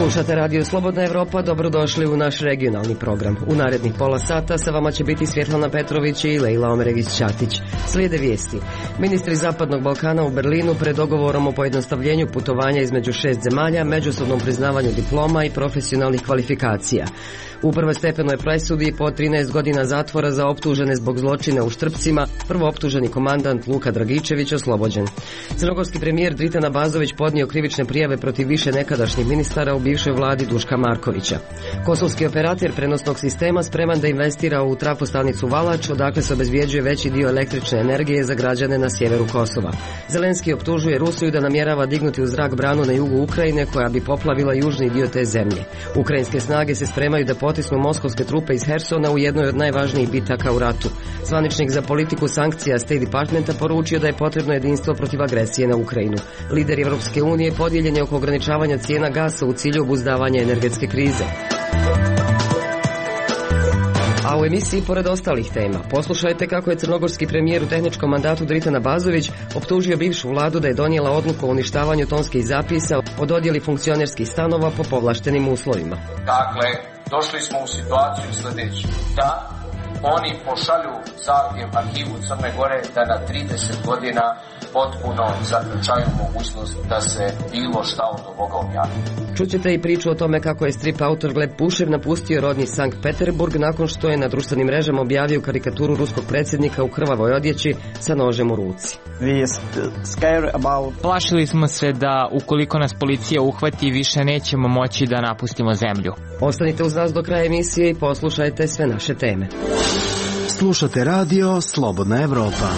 Slušate Radio Slobodna Evropa, dobrodošli u naš regionalni program. U narednih pola sata sa vama će biti Svjetlana Petrović i Lejla Omeregić-Ćatić. Slijede vijesti. Ministri Zapadnog Balkana u Berlinu pred dogovorom o pojednostavljenju putovanja između 6 zemalja, međusobnom priznavanju diploma i profesionalnih kvalifikacija. U prvostepenoj presudi po 13 godina zatvora za optužene zbog zločina u Štrpcima, prvooptuženi komandant Luka Dragičević oslobođen. Crnogorski premijer Dritan Abazović podnio krivične prijave protiv više nekadašnjih ministara u bivšoj vladi Duška Markovića. Kosovski operator prenosnog sistema spreman da investira u trafostanicu Valač, odakle se obezbjeđuje veći dio električne energije za građane na sjeveru Kosova. Zelenski optužuje Rusiju da namjerava dignuti u zrak branu na jugu Ukrajine koja bi poplavila južni dio te zemlje. Ukrajinske snage se spremaju da potisnu moskovske trupe iz Hersona u jednoj od najvažnijih bitaka u ratu. Zvaničnik za politiku sankcija State Departmenta poručio da je potrebno jedinstvo protiv agresije na Ukrajinu. Lider Europske unije podijeljen je oko ograničavanja cijena gasa u cilju obuzdavanja energetske krize. A u emisiji pored ostalih tema poslušajte kako je crnogorski premijer u tehničkom mandatu Dritan Abazović optužio bivšu vladu da je donijela odluku o uništavanju tonskih zapisa o dodjeli funkcionerskih stanova po povlaštenim uslovima. Dakle, došli smo u situaciju sljedeću, da oni pošalju zahtjev arhivu Crne Gore da na 30 godina potpuno zaključaju mogućnost da se bilo šta od ovoga objavi. Čućete i priču o tome kako je strip autor Gleb Pušev napustio rodni Sankt Peterburg nakon što je na društvenim mrežama objavio karikaturu ruskog predsjednika u krvavoj odjeći sa nožem u ruci. Plašili smo se da ukoliko nas policija uhvati više nećemo moći da napustimo zemlju. Ostanite uz nas do kraja emisije i poslušajte sve naše teme. Slušate Radio Slobodna Evropa.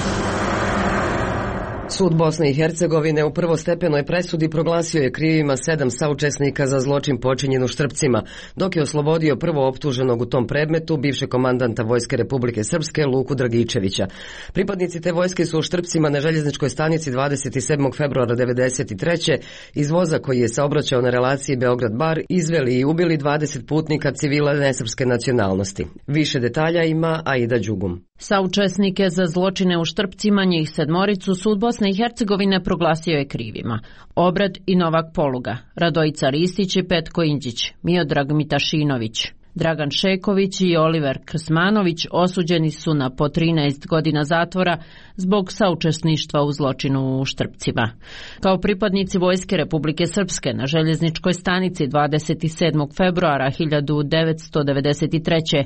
Sud Bosne i Hercegovine u prvostepenoj presudi proglasio je krivima 7 saučesnika za zločin počinjen u Štrpcima, dok je oslobodio prvo optuženog u tom predmetu bivšeg komandanta Vojske Republike Srpske Luku Dragičevića. Pripadnici te vojske su u Štrpcima na željezničkoj stanici 27. februara 1993. iz voza koji je saobraćao na relaciji Beograd-Bar izveli i ubili 20 putnika civila nesrpske nacionalnosti. Više detalja ima Aida Đugum. Saučesnike za zločine u Štrpcima, njih 7, sud Bosne i Hercegovine proglasio je krivima. Obrad i Novak Poluga, Radojica Ristić i Petko Indžić, Miodrag Mitašinović, Dragan Šeković i Oliver Krsmanović osuđeni su na po 13 godina zatvora zbog saučesništva u zločinu u Štrpcima. Kao pripadnici Vojske Republike Srpske na željezničkoj stanici 27. februara 1993.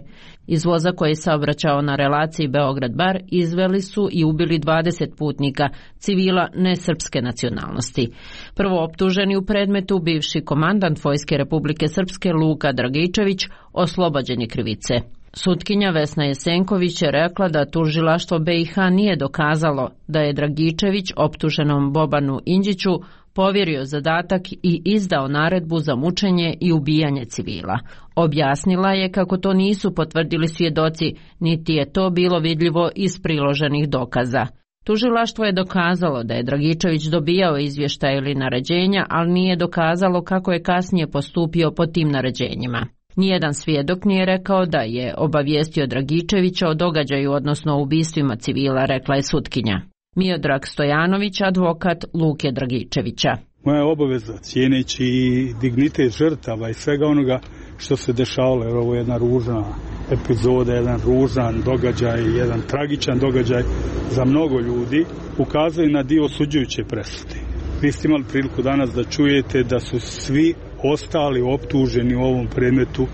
iz voza koji je saobraćao na relaciji Beograd-Bar izveli su i ubili 20 putnika civila nesrpske nacionalnosti. Prvo optuženi u predmetu bivši komandant Vojske Republike Srpske Luka Dragičević oslobođen je krivice. Sutkinja Vesna Jesenković je rekla da tužilaštvo BiH nije dokazalo da je Dragičević optuženom Bobanu Indžiću povjerio zadatak i izdao naredbu za mučenje i ubijanje civila. Objasnila je kako to nisu potvrdili svjedoci, niti je to bilo vidljivo iz priloženih dokaza. Tužilaštvo je dokazalo da je Dragičević dobijao izvještaje ili naređenja, ali nije dokazalo kako je kasnije postupio po tim naređenjima. Nijedan svjedok nije rekao da je obavijestio Dragičevića o događaju, odnosno o ubistvima civila, rekla je sutkinja. Miodrag Stojanović, advokat Luke Dragičevića. Moja je obaveza, cijeneći i dignitet žrtava i svega onoga što se dešavalo, jer ovo je jedna ružna epizoda, jedan ružan događaj, jedan tragičan događaj za mnogo ljudi, ukazuje na dio osuđujuće presude. Vi ste imali priliku danas da čujete da su svi ostali optuženi u ovom predmetu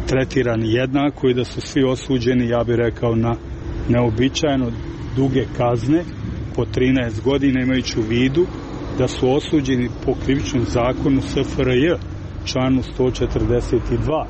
tretirani jednako i da su svi osuđeni, ja bih rekao, na neobičajno duge kazne po 13 godina, imajući u vidu da su osuđeni po krivičnom zakonu SFRJ, članu 142,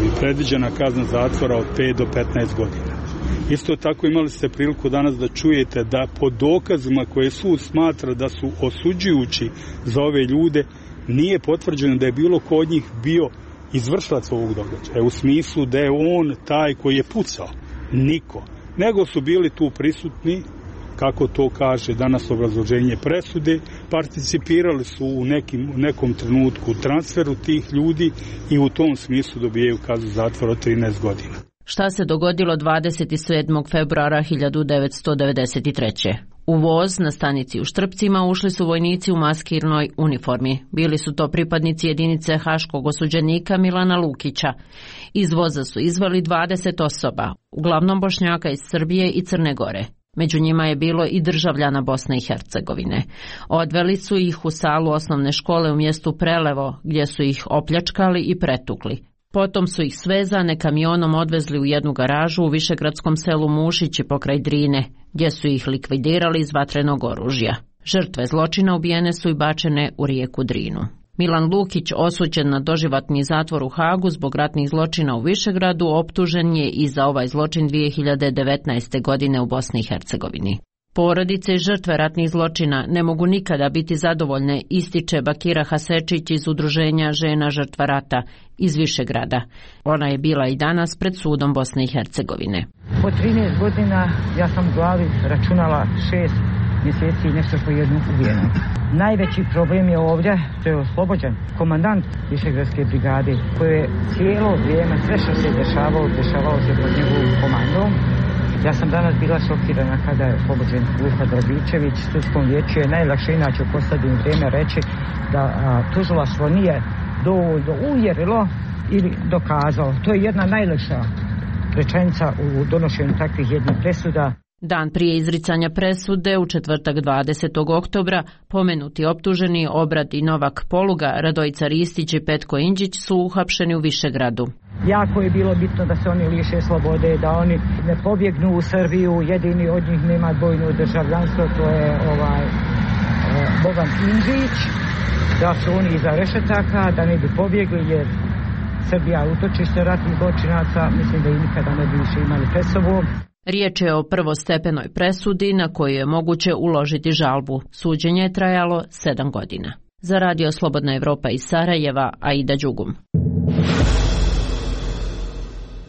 i predviđena kazna zatvora od 5 do 15 godina. Isto tako imali ste priliku danas da čujete da po dokazima koje sud smatra da su osuđujući za ove ljude, nije potvrđeno da je bilo ko od njih bio izvršilac ovog događaja, u smislu da je on taj koji je pucao. Niko. Nego su bili tu prisutni, kako to kaže danas obrazloženje presude, participirali su u nekom trenutku u transferu tih ljudi i u tom smislu dobijaju kaznu zatvora od 13 godina. Šta se dogodilo 27. februara 1993. U voz na stanici u Štrpcima ušli su vojnici u maskirnoj uniformi. Bili su to pripadnici jedinice haškog osuđenika Milana Lukića. Iz voza su izveli 20 osoba, uglavnom Bošnjaka iz Srbije i Crne Gore. Među njima je bilo i državljana Bosne i Hercegovine. Odveli su ih u salu osnovne škole u mjestu Prelevo, gdje su ih opljačkali i pretukli. Potom su ih svezane kamionom odvezli u jednu garažu u višegradskom selu Mušići pokraj Drine, gdje su ih likvidirali iz vatrenog oružja. Žrtve zločina ubijene su i bačene u rijeku Drinu. Milan Lukić, osuđen na doživotni zatvor u Hagu zbog ratnih zločina u Višegradu, optužen je i za ovaj zločin 2019. godine u Bosni i Hercegovini. Porodice i žrtve ratnih zločina ne mogu nikada biti zadovoljne, ističe Bakira Hasečić iz Udruženja žena žrtva rata iz Višegrada. Ona je bila i danas pred sudom Bosne i Hercegovine. Po 13 godina ja sam u glavi računala 6 mjeseci i nešto po jednu ubijenu. Najveći problem je ovdje što je oslobođen komandant Višegradske brigade, koji je cijelo vrijeme sve što se dešavalo se pod njegovom komandom. Ja sam danas bila šokirana kada je oslobođen Luka Dragičević. Sudskom vijeću je najlakše inače u posljednje vrijeme reći da tužilaštvo nije dovoljno uvjerilo ili dokazalo. To je jedna najlakša rečenica u donošenju takvih jednih presuda. Dan prije izricanja presude, u četvrtak 20. oktobra, pomenuti optuženi Obrad i Novak Poluga, Radojica Ristić i Petko Inđić su uhapšeni u Višegradu. Jako je bilo bitno da se oni liše slobode, da oni ne pobjegnu u Srbiju, jedini od njih nema dvojno državljanstvo, to je Boban Inđić, da su oni iza rešetaka, da ne bi pobjegli jer Srbija utočište ratnih zločinaca, mislim da i nikada ne bi više imali pred sobom. Riječ je o prvostepenoj presudi na koju je moguće uložiti žalbu. Suđenje je trajalo 7 godina. Za Radio Slobodna Evropa iz Sarajeva, Aida Đugum.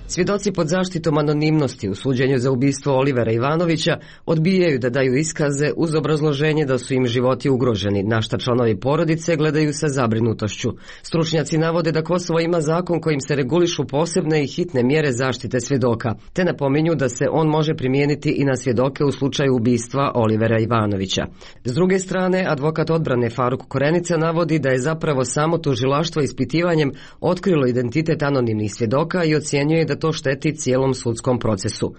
Svjedoci pod zaštitom anonimnosti u suđenju za ubistvo Olivera Ivanovića odbijaju da daju iskaze uz obrazloženje da su im životi ugroženi, na šta članovi porodice gledaju sa zabrinutošću. Stručnjaci navode da Kosovo ima zakon kojim se regulišu posebne i hitne mjere zaštite svjedoka, te napominju da se on može primijeniti i na svjedoke u slučaju ubistva Olivera Ivanovića. S druge strane, advokat odbrane Faruk Korenica navodi da je zapravo samo tužilaštvo ispitivanjem otkrilo identitet anonimnih svjedoka i ocjenjuje da to šteti cijelom sudskom procesu.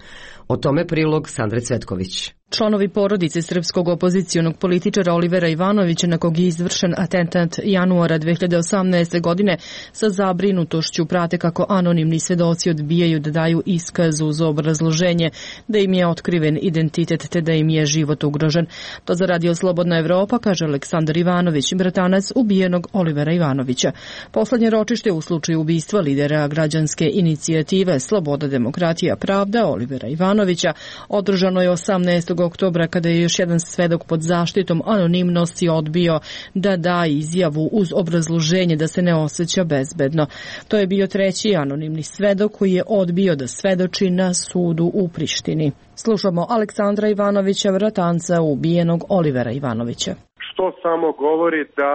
O tome prilog Sandre Cvetković. Članovi porodice srpskog opozicionog političara Olivera Ivanovića, na kog je izvršen atentat januara 2018. godine, sa zabrinutošću prate kako anonimni svedoci odbijaju da daju iskaz uz obrazloženje da im je otkriven identitet te da im je život ugrožen. To za Radio Slobodna Evropa kaže Aleksandar Ivanović, bratanac ubijenog Olivera Ivanovića. Poslednje ročište u slučaju ubistva lidera građanske inicijative Sloboda, demokratija, pravda Olivera Ivanovića održano je 18. oktobra kada je još jedan svedok pod zaštitom anonimnosti odbio da da izjavu uz obrazloženje da se ne osjeća bezbedno. To je bio treći anonimni svedok koji je odbio da svedoči na sudu u Prištini. Slušamo Aleksandra Ivanovića, bratanca ubijenog Olivera Ivanovića. Što samo govori da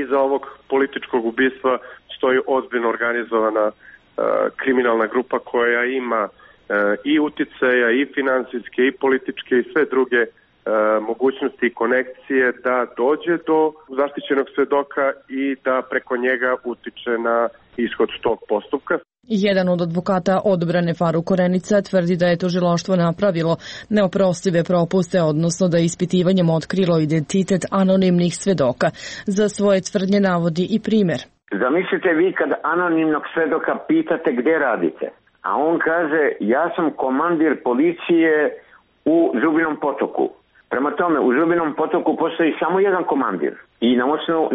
iza ovog političkog ubistva stoji ozbiljno organizovana kriminalna grupa koja ima i uticaja, i financijske, i političke, i sve druge mogućnosti i konekcije da dođe do zaštićenog svedoka i da preko njega utiče na ishod tog postupka. Jedan od advokata odbrane Faruk Korenica tvrdi da je tužilaštvo napravilo neoprostive propuste, odnosno da je ispitivanjem otkrilo identitet anonimnih svedoka. Za svoje tvrdnje navodi i primjer. Zamislite vi kad anonimnog svedoka pitate gdje radite, a on kaže ja sam komandir policije u Zubinom Potoku. Prema tome, u Zubinom Potoku postoji samo jedan komandir i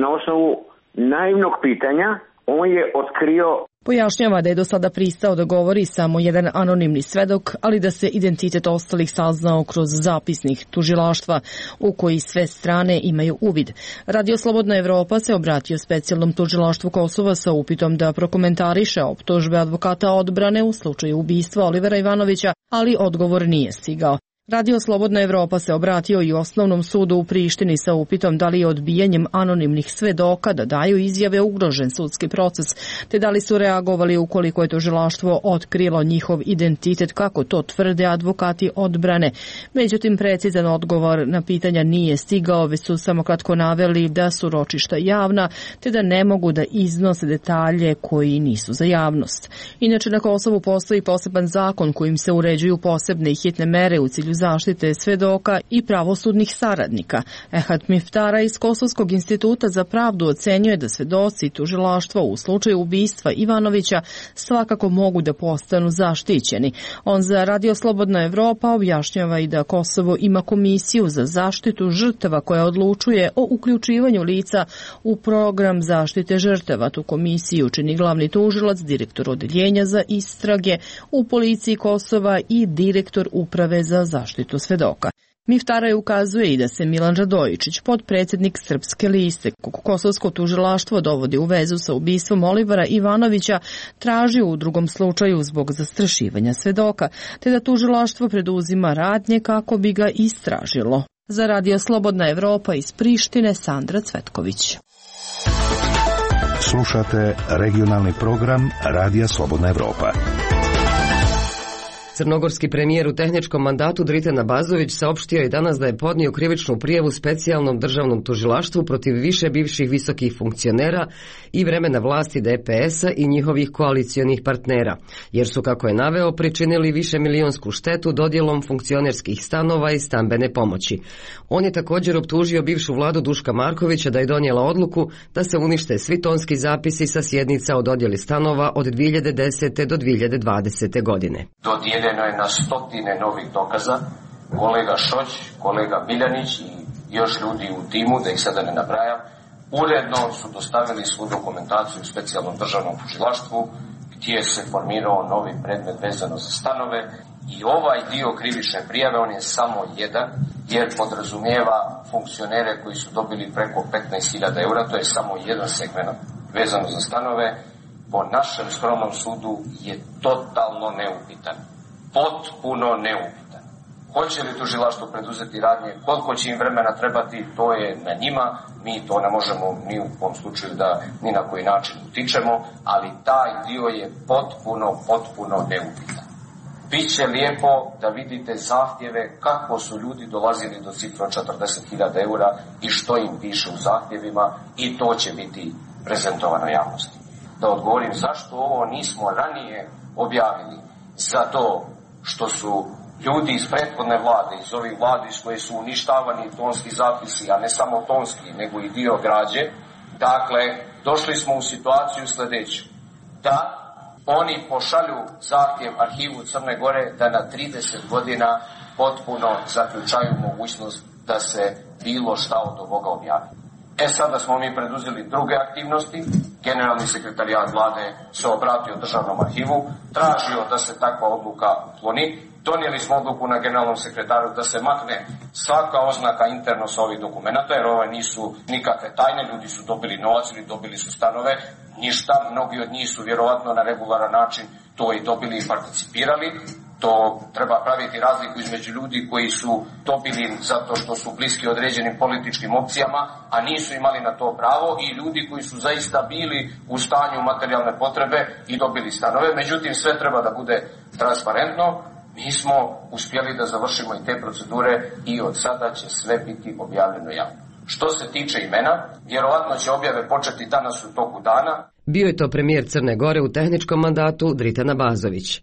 na osnovu naivnog pitanja on je otkrio. Pojašnjava da je do sada pristao da govori samo jedan anonimni svedok, ali da se identitet ostalih saznao kroz zapisnik tužilaštva u koji sve strane imaju uvid. Radio Slobodna Evropa se obratio specijalnom tužilaštvu Kosova sa upitom da prokomentariše optužbe advokata odbrane u slučaju ubistva Olivera Ivanovića, ali odgovor nije stigao. Radio Slobodna Evropa se obratio i Osnovnom sudu u Prištini sa upitom da li je odbijanjem anonimnih svedoka da daju izjave ugrožen sudski proces, te da li su reagovali ukoliko je tužilaštvo otkrilo njihov identitet, kako to tvrde advokati odbrane. Međutim, precizan odgovor na pitanja nije stigao, već su samo kratko naveli da su ročišta javna, te da ne mogu da iznose detalje koji nisu za javnost. Inače, na Kosovu postoji poseban zakon kojim se uređuju posebne i hitne mere u cilju zaštite svedoka i pravosudnih saradnika. Ehad Miftara iz Kosovskog instituta za pravdu ocenjuje da svedoci i tužilaštvo u slučaju ubistva Ivanovića svakako mogu da postanu zaštićeni. On za Radio Slobodna Evropa objašnjava i da Kosovo ima komisiju za zaštitu žrtava koja odlučuje o uključivanju lica u program zaštite žrtava. Tu komisiju čini glavni tužilac, direktor odeljenja za istrage u policiji Kosova i direktor uprave za zaštitu svedoka. Miftaraj ukazuje i da se Milan Radojičić, potpredsjednik Srpske liste, kosovsko tužilaštvo dovodi u vezu sa ubistvom Olivera Ivanovića, traži u drugom slučaju zbog zastrašivanja svedoka, te da tužilaštvo preduzima radnje kako bi ga istražilo. Za Radio Slobodna Evropa iz Prištine, Sandra Cvetković. Slušate regionalni program Radija Slobodna Evropa. Crnogorski premijer u tehničkom mandatu Dritan Abazović saopštio je danas da je podnio krivičnu prijavu specijalnom državnom tužilaštvu protiv više bivših visokih funkcionera i vremena vlasti DPS-a i njihovih koalicionih partnera, jer su, kako je naveo, pričinili višemilijonsku štetu dodjelom funkcionerskih stanova i stambene pomoći. On je također optužio bivšu vladu Duška Markovića da je donijela odluku da se unište svi tonski zapisi sa sjednica o dodjeli stanova od 2010. do 2020. godine. Dodijeljeno je na stotine novih dokaza. Kolega Šoć, kolega Miljanić i još ljudi u timu, da ih sada ne nabrajam, uredno su dostavili svu dokumentaciju u specijalnom državnom tužilaštvu gdje se formirao novi predmet vezano za stanove i ovaj dio krivične prijave, on je samo jedan, jer podrazumijeva funkcionere koji su dobili preko 15.000 eura, to je samo jedan segment vezano za stanove, po našem skromnom sudu je totalno neupitan. Potpuno neupitan. Hoće li tužilaštvo preduzeti radnje, koliko će im vremena trebati, to je na njima, mi to ne možemo ni u kom slučaju da ni na koji način utičemo, ali taj dio je potpuno neupitan. Biće lijepo da vidite zahtjeve kako su ljudi dolazili do cifra 40.000 eura i što im piše u zahtjevima i to će biti prezentovano javnosti. Da odgovorim zašto ovo nismo ranije objavili, zato što su ljudi iz prethodne vlade, iz ovih vlade iz koje su uništavani tonski zapisi, a ne samo tonski, nego i dio građe, dakle, došli smo u situaciju sljedeću, da oni pošalju zahtjev arhivu Crne Gore da na 30 godina potpuno zaključaju mogućnost da se bilo šta od ovoga objavi. Sada smo mi preduzeli druge aktivnosti. Generalni sekretarijat vlade se obratio državnom arhivu, tražio da se takva odluka ukloni. Donijeli smo odluku na generalnom sekretaru da se makne svaka oznaka interno sa ovih dokumenta, jer ove nisu nikakve tajne, ljudi su dobili novac ili dobili su stanove, ništa, mnogi od njih su vjerovatno na regularan način to i dobili i participirali. To treba praviti razliku između ljudi koji su dobili zato što su bliski određenim političkim opcijama, a nisu imali na to pravo, i ljudi koji su zaista bili u stanju materijalne potrebe i dobili stanove. Međutim, sve treba da bude transparentno. Mi smo uspjeli da završimo i te procedure i od sada će sve biti objavljeno javno. Što se tiče imena, vjerovatno će objave početi danas u toku dana. Bio je to premijer Crne Gore u tehničkom mandatu Dritan Abazović.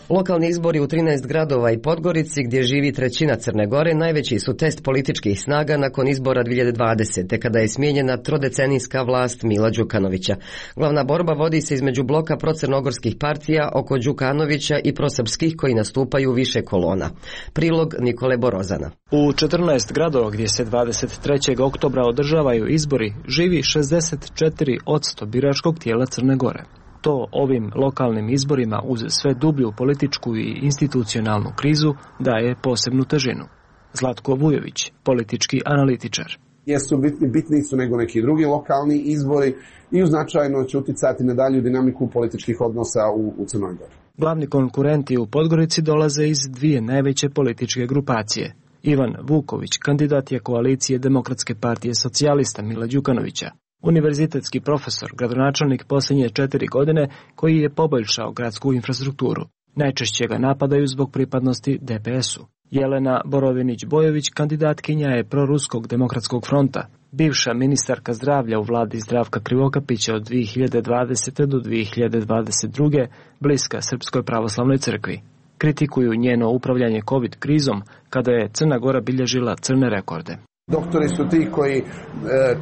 Lokalni izbori u 13 gradova i Podgorici, gdje živi trećina Crne Gore, najveći su test političkih snaga nakon izbora 2020. kada je smijenjena trodecenijska vlast Mila Đukanovića. Glavna borba vodi se između bloka procrnogorskih partija oko Đukanovića i prosrpskih koji nastupaju više kolona. Prilog Nikole Borozana. U 14 gradova gdje se 23. oktobra održavaju izbori živi 64% biračkog tijela Crne Gore. To ovim lokalnim izborima uz sve dublju političku i institucionalnu krizu daje posebnu težinu. Zlatko Vujović, politički analitičar. Jesu bitniji su nego neki drugi lokalni izbori i značajno će uticati na dalju dinamiku političkih odnosa u Crnoj Gori. Glavni konkurenti u Podgorici dolaze iz dvije najveće političke grupacije. Ivan Vuković, kandidat je koalicije Demokratske partije socijalista Mila Đukanovića. Univerzitetski profesor, gradonačelnik posljednje 4 godine koji je poboljšao gradsku infrastrukturu. Najčešće ga napadaju zbog pripadnosti DPS-u. Jelena Borovinić-Bojović, kandidatkinja je proruskog demokratskog fronta. Bivša ministarka zdravlja u vladi Zdravka Krivokapića od 2020. do 2022. bliska Srpskoj pravoslavnoj crkvi. Kritikuju njeno upravljanje COVID krizom kada je Crna Gora bilježila crne rekorde. Doktori su ti koji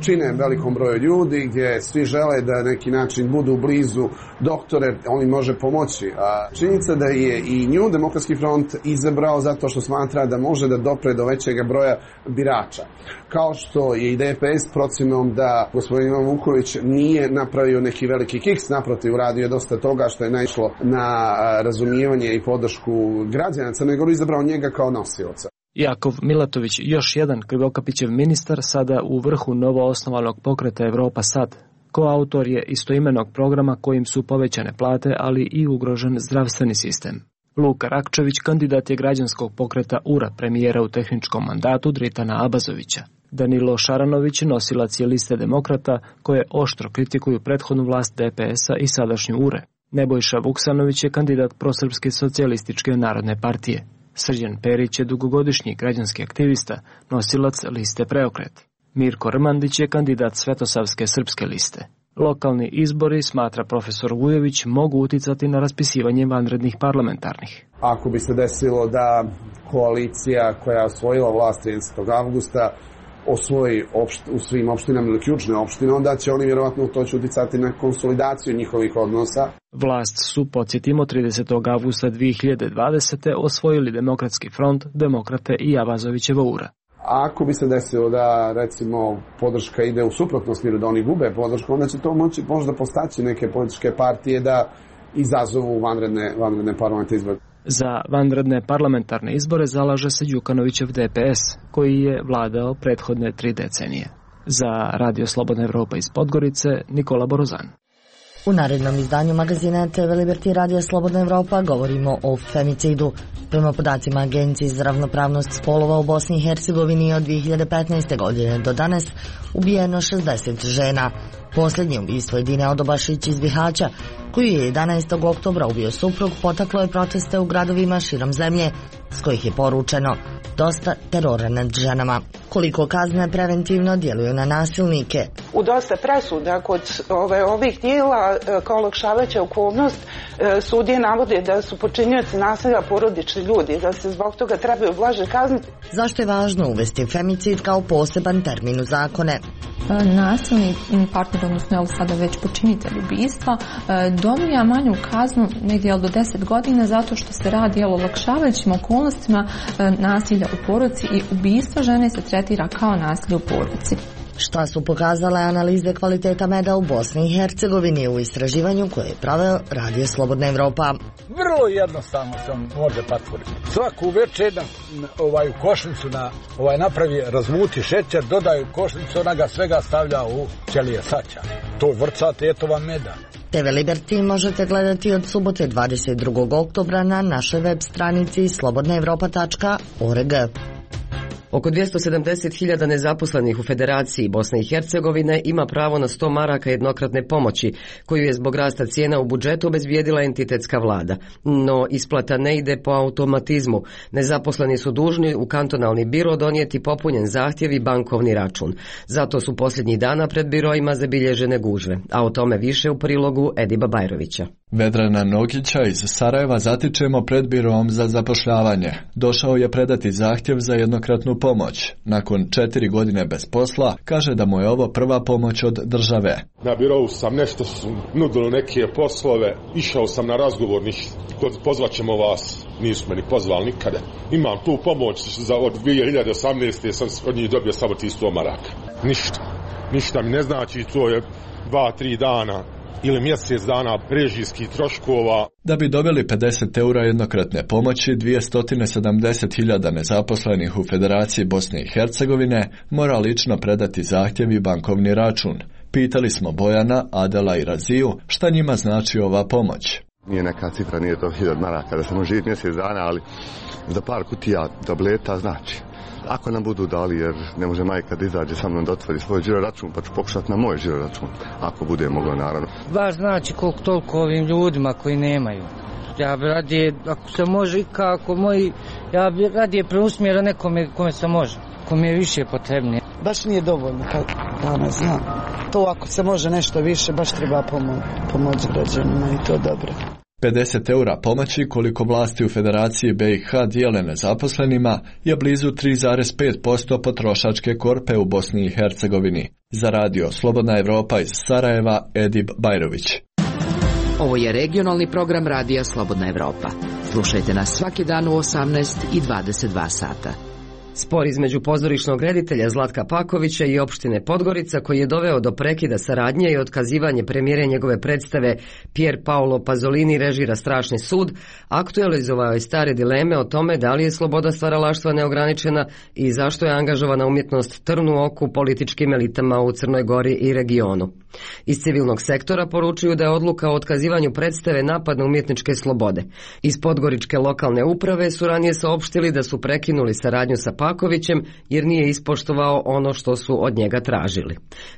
čine velikom broju ljudi, gdje svi žele da na neki način budu blizu doktore, on im može pomoći. A činjenica da je i nju Demokratski front izabrao zato što smatra da može da dopre do većeg broja birača. Kao što je i DPS procjenom da gospodin Ivan Vuković nije napravio neki veliki kiks, naprotiv, uradio je dosta toga što je naišlo na razumijevanje i podršku građana Crne Gore, izabrao njega kao nosioca. Jakov Milatović, još jedan Krivokapićev ministar, sada u vrhu novoosnovanog pokreta Evropa Sad. Koautor je istoimenog programa kojim su povećane plate, ali i ugrožen zdravstveni sistem. Luka Rakčević, kandidat je građanskog pokreta URA, premijera u tehničkom mandatu Dritana Abazovića. Danilo Šaranović, nosilac je liste demokrata, koje oštro kritikuju prethodnu vlast DPS-a i sadašnju URE. Nebojša Vuksanović je kandidat prosrpske socijalističke narodne partije. Srđan Perić je dugogodišnji građanski aktivista, nosilac liste Preokret. Mirko Rmandić je kandidat Svetosavske srpske liste. Lokalni izbori, smatra profesor Vujović, mogu uticati na raspisivanje vanrednih parlamentarnih. Ako bi se desilo da koalicija koja je osvojila vlast 30. avgusta osvoji u svim opštinama ili ključne opštine, onda će oni vjerovatno to će uticati na konsolidaciju njihovih odnosa. Vlast su, podsjetimo, 30. avgusta 2020. osvojili Demokratski front, Demokrate i Abazovićeva URA. Ako bi se desilo da, recimo, podrška ide u suprotnom smjeru, da oni gube podršku, onda će to moći možda postaći neke političke partije da izazovu vanredne parlamentarne izbore. Za vanredne parlamentarne izbore zalaže se Đukanovićev DPS, koji je vladao prethodne 3 decenije. Za Radio Slobodna Evropa iz Podgorice, Nikola Borozan. U narednom izdanju magazina TV Liberty Radio Slobodna Evropa govorimo o femicidu. Prema podacima Agencije za ravnopravnost spolova u Bosni i Hercegovini od 2015. godine do danas ubijeno 60 žena. Posljednje ubistvo Edine Odobašić iz Bihaća, koju je 11. oktobra ubio suprug, potaklo je proteste u gradovima širom zemlje, s kojih je poručeno dosta terora nad ženama. Koliko kazne preventivno djeluju na nasilnike? U dosta presuda kod ovih dijela kao olakšavajuća okolnost sudije navode da su počinioci nasilja porodični ljudi, da se zbog toga trebaju blaže kazniti. Zašto je važno uvesti femicid kao poseban termin u zakone? Nasilni partner, odnosno sada već počinitelj ubistva, dobija manju kaznu negdje do 10 godina zato što se radi o olakšavajućim okolnostima nasilja u porodici i ubistvo žene se tretira kao nasilje u porodici. Šta su pokazale analize kvaliteta meda u Bosni i Hercegovini u istraživanju koje je proveo Radio Slobodna Evropa? Vrlo jednostavno se može patvoriti. Svaku večer u košnicu napravi, razmuti šećer, dodaju košnicu, ona ga svega stavlja u ćelije saća. To vrca tetova meda. TV Liberty možete gledati od subote 22. oktobra na našoj web stranici slobodnaevropa.org. Oko 270.000 nezaposlenih u Federaciji Bosne i Hercegovine ima pravo na 100 maraka jednokratne pomoći, koju je zbog rasta cijena u budžetu obezbijedila entitetska vlada. No, isplata ne ide po automatizmu. Nezaposleni su dužni u kantonalni biro donijeti popunjen zahtjev i bankovni račun. Zato su posljednjih dana pred biroima zabilježene gužve. A o tome više u prilogu Ediba Bajrovića. Vedrana Nogića iz Sarajeva zatičemo pred birom za zapošljavanje. Došao je predati zahtjev za jednokratnu pomoć. Nakon 4 godine bez posla, kaže da mu je ovo prva pomoć od države. Na birovu sam nešto nudilo neke poslove, išao sam na razgovor, pozvaćemo vas, nisu me ni pozvali nikada. Imam tu pomoć od 2018. sam od njih dobio samo 100 maraka. Ništa mi ne znači, to je 2-3 dana ili mjesec dana režijskih troškova. Da bi dobili 50 eura jednokratne pomoći, 270.000 nezaposlenih u Federaciji Bosne i Hercegovine mora lično predati zahtjev i bankovni račun. Pitali smo Bojana, Adela i Raziju šta njima znači ova pomoć. Nije neka cifra, nije to 1000 maraka da se može živjeti mjesec dana, ali za par kutija tableta znači. Ako nam budu dali, jer ne može majka da izađe sa mnom da otvori svoj žiroračun, pa ću pokušati na moj žiroračun, ako bude moglo, naravno. Baš znači koliko toliko ovim ljudima koji nemaju. Ja bi radije, ako se može i kako moji, ja bi radije preusmjera nekome kome se može, kome je više potrebnije. Baš nije dovoljno, danas znam. To ako se može nešto više, baš treba pomoći građanima i to dobro. 50 eura pomoći koliko vlasti u Federaciji BiH dijele nezaposlenima je blizu 3,5% potrošačke korpe u Bosni i Hercegovini. Za radio Slobodna Evropa iz Sarajeva, Edip Bajrović. Ovo je regionalni program radija Slobodna Evropa. Slušajte nas svaki dan u 18 i 22 sata. Spor između pozorišnog reditelja Zlatka Pakovića i opštine Podgorica, koji je doveo do prekida saradnje i otkazivanje premijere njegove predstave Pier Paolo Pasolini režira Strašni sud, aktualizovao je stare dileme o tome da li je sloboda stvaralaštva neograničena i zašto je angažovana umjetnost trn u oku političkim elitama u Crnoj Gori i regionu. Iz civilnog sektora poručuju da je odluka o otkazivanju predstave napad na umjetničke slobode. Iz podgoričke lokalne uprave su ranije saopštili da su prekinuli saradnju sa Pakovićem jer nije ispoštovao ono što su od njega tražili.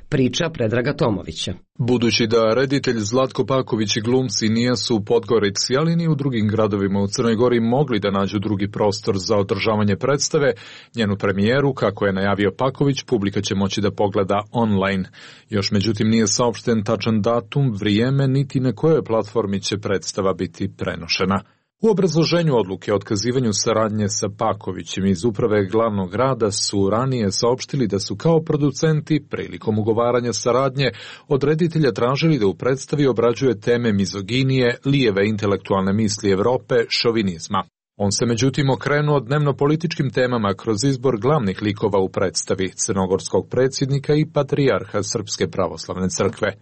Priča Predraga Tomovića. Budući da reditelj Zlatko Paković i glumci nisu u Podgorici, ali ni u drugim gradovima u Crnoj Gori mogli da nađu drugi prostor za održavanje predstave, njenu premijeru, kako je najavio Paković, publika će moći da pogleda online. Još međutim nije saopšten tačan datum, vrijeme, niti na kojoj platformi će predstava biti prenošena. U obrazloženju odluke o otkazivanju saradnje sa Pakovićem iz uprave glavnog grada su ranije saopštili da su kao producenti prilikom ugovaranja saradnje od reditelja tražili da u predstavi obrađuje teme mizoginije, lijeve intelektualne misli Evrope, šovinizma. On se međutim okrenuo dnevno-političkim temama kroz izbor glavnih likova u predstavi, crnogorskog predsjednika i patrijarha Srpske pravoslavne crkve.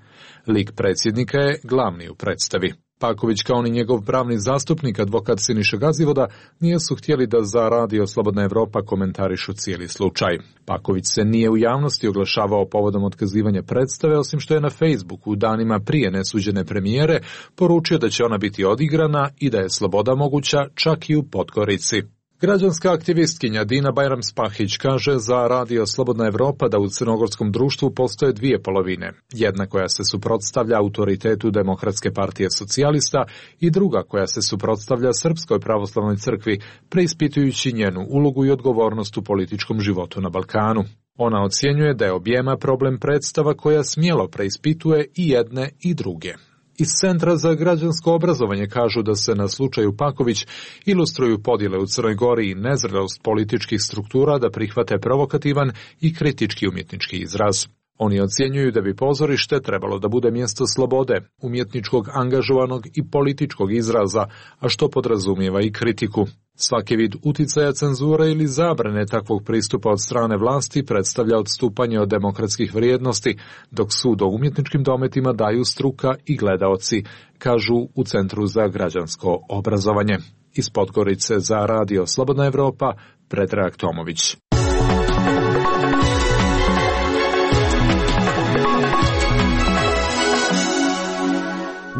Lik predsjednika je glavni u predstavi. Paković, kao ni njegov pravni zastupnik, advokat Siniša Gazivoda, nisu htjeli da za radio Slobodna Evropa komentarišu cijeli slučaj. Paković se nije u javnosti oglašavao povodom otkazivanja predstave, osim što je na Facebooku u danima prije nesuđene premijere poručio da će ona biti odigrana i da je sloboda moguća čak i u Podgorici. Građanska aktivistkinja Dina Bajram-Spahić kaže za radio Slobodna Evropa da u crnogorskom društvu postoje dvije polovine. Jedna koja se suprotstavlja autoritetu Demokratske partije socijalista i druga koja se suprotstavlja Srpskoj pravoslavnoj crkvi, preispitujući njenu ulogu i odgovornost u političkom životu na Balkanu. Ona ocjenjuje da je objema problem predstava koja smjelo preispituje i jedne i druge. Iz Centra za građansko obrazovanje kažu da se na slučaju Paković ilustruju podjele u Crnoj Gori i nezrelost političkih struktura da prihvate provokativan i kritički umjetnički izraz. Oni ocjenjuju da bi pozorište trebalo da bude mjesto slobode, umjetničkog angažovanog i političkog izraza, a što podrazumijeva i kritiku. Svaki vid uticaja, cenzure ili zabrane takvog pristupa od strane vlasti predstavlja odstupanje od demokratskih vrijednosti, dok sud o umjetničkim dometima daju struka i gledaoci, kažu u Centru za građansko obrazovanje. Iz Podgorice za radio Slobodna Evropa, Predrag Tomović.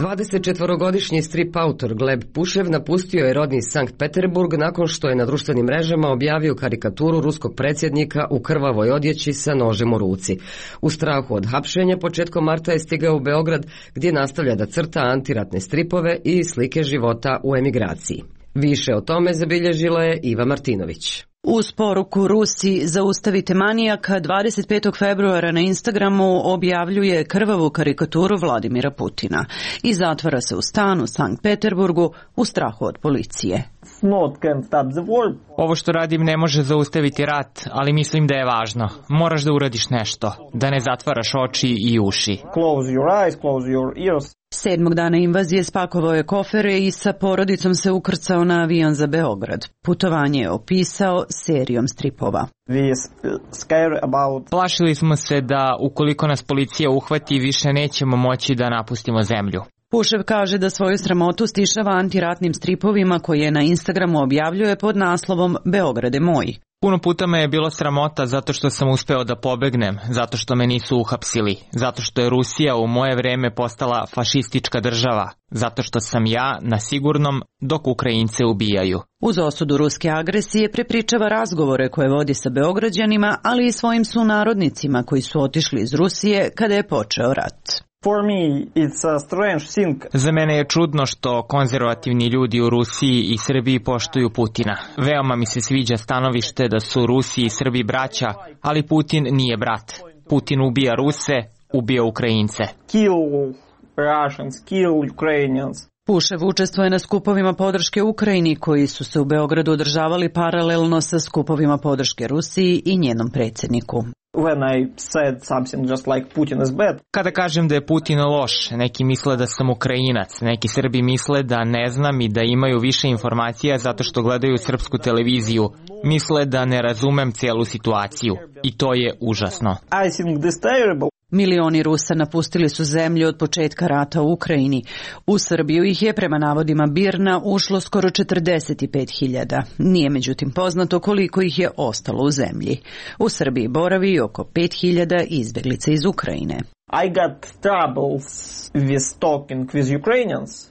24-godišnji strip autor Gleb Pušev napustio je rodni Sankt Peterburg nakon što je na društvenim mrežama objavio karikaturu ruskog predsjednika u krvavoj odjeći sa nožem u ruci. U strahu od hapšenja početkom marta je stigao u Beograd, gdje nastavlja da crta antiratne stripove i slike života u emigraciji. Više o tome zabilježila je Iva Martinović. Uz poruku Rusi zaustavite manijaka 25. februara na Instagramu objavljuje krvavu karikaturu Vladimira Putina i zatvara se u stan u Sankt Peterburgu u strahu od policije. Ovo što radim ne može zaustaviti rat, ali mislim da je važno. Moraš da uradiš nešto, da ne zatvaraš oči i uši. Close your eyes, close your ears. 7. dana invazije spakovao je kofere i sa porodicom se ukrcao na avion za Beograd. Putovanje je opisao serijom stripova. Plašili smo se da ukoliko nas policija uhvati više nećemo moći da napustimo zemlju. Pušev kaže da svoju sramotu stišava antiratnim stripovima koje na Instagramu objavljuje pod naslovom Beograd je moj. Puno puta me je bilo sramota zato što sam uspeo da pobegnem, zato što me nisu uhapsili, zato što je Rusija u moje vreme postala fašistička država, zato što sam ja na sigurnom dok Ukrajince ubijaju. Uz osudu ruske agresije prepričava razgovore koje vodi sa Beograđanima, ali i svojim sunarodnicima koji su otišli iz Rusije kada je počeo rat. Za mene je čudno što konzervativni ljudi u Rusiji i Srbiji poštuju Putina. Veoma mi se sviđa stanovište da su Rusi i Srbi braća, ali Putin nije brat. Putin ubija Ruse, ubija Ukrajince. Pušev učestvuje na skupovima podrške Ukrajini koji su se u Beogradu održavali paralelno sa skupovima podrške Rusiji i njenom predsjedniku. Kada kažem da je Putin loš, neki misle da sam Ukrajinac, neki Srbi misle da ne znam i da imaju više informacija zato što gledaju srpsku televiziju. Misle da ne razumem cijelu situaciju i to je užasno. Milioni Rusa napustili su zemlju od početka rata u Ukrajini. U Srbiju ih je, prema navodima BIRN-a, ušlo skoro 45.000. Nije međutim poznato koliko ih je ostalo u zemlji. U Srbiji boravi oko 5.000 izbjeglica iz Ukrajine.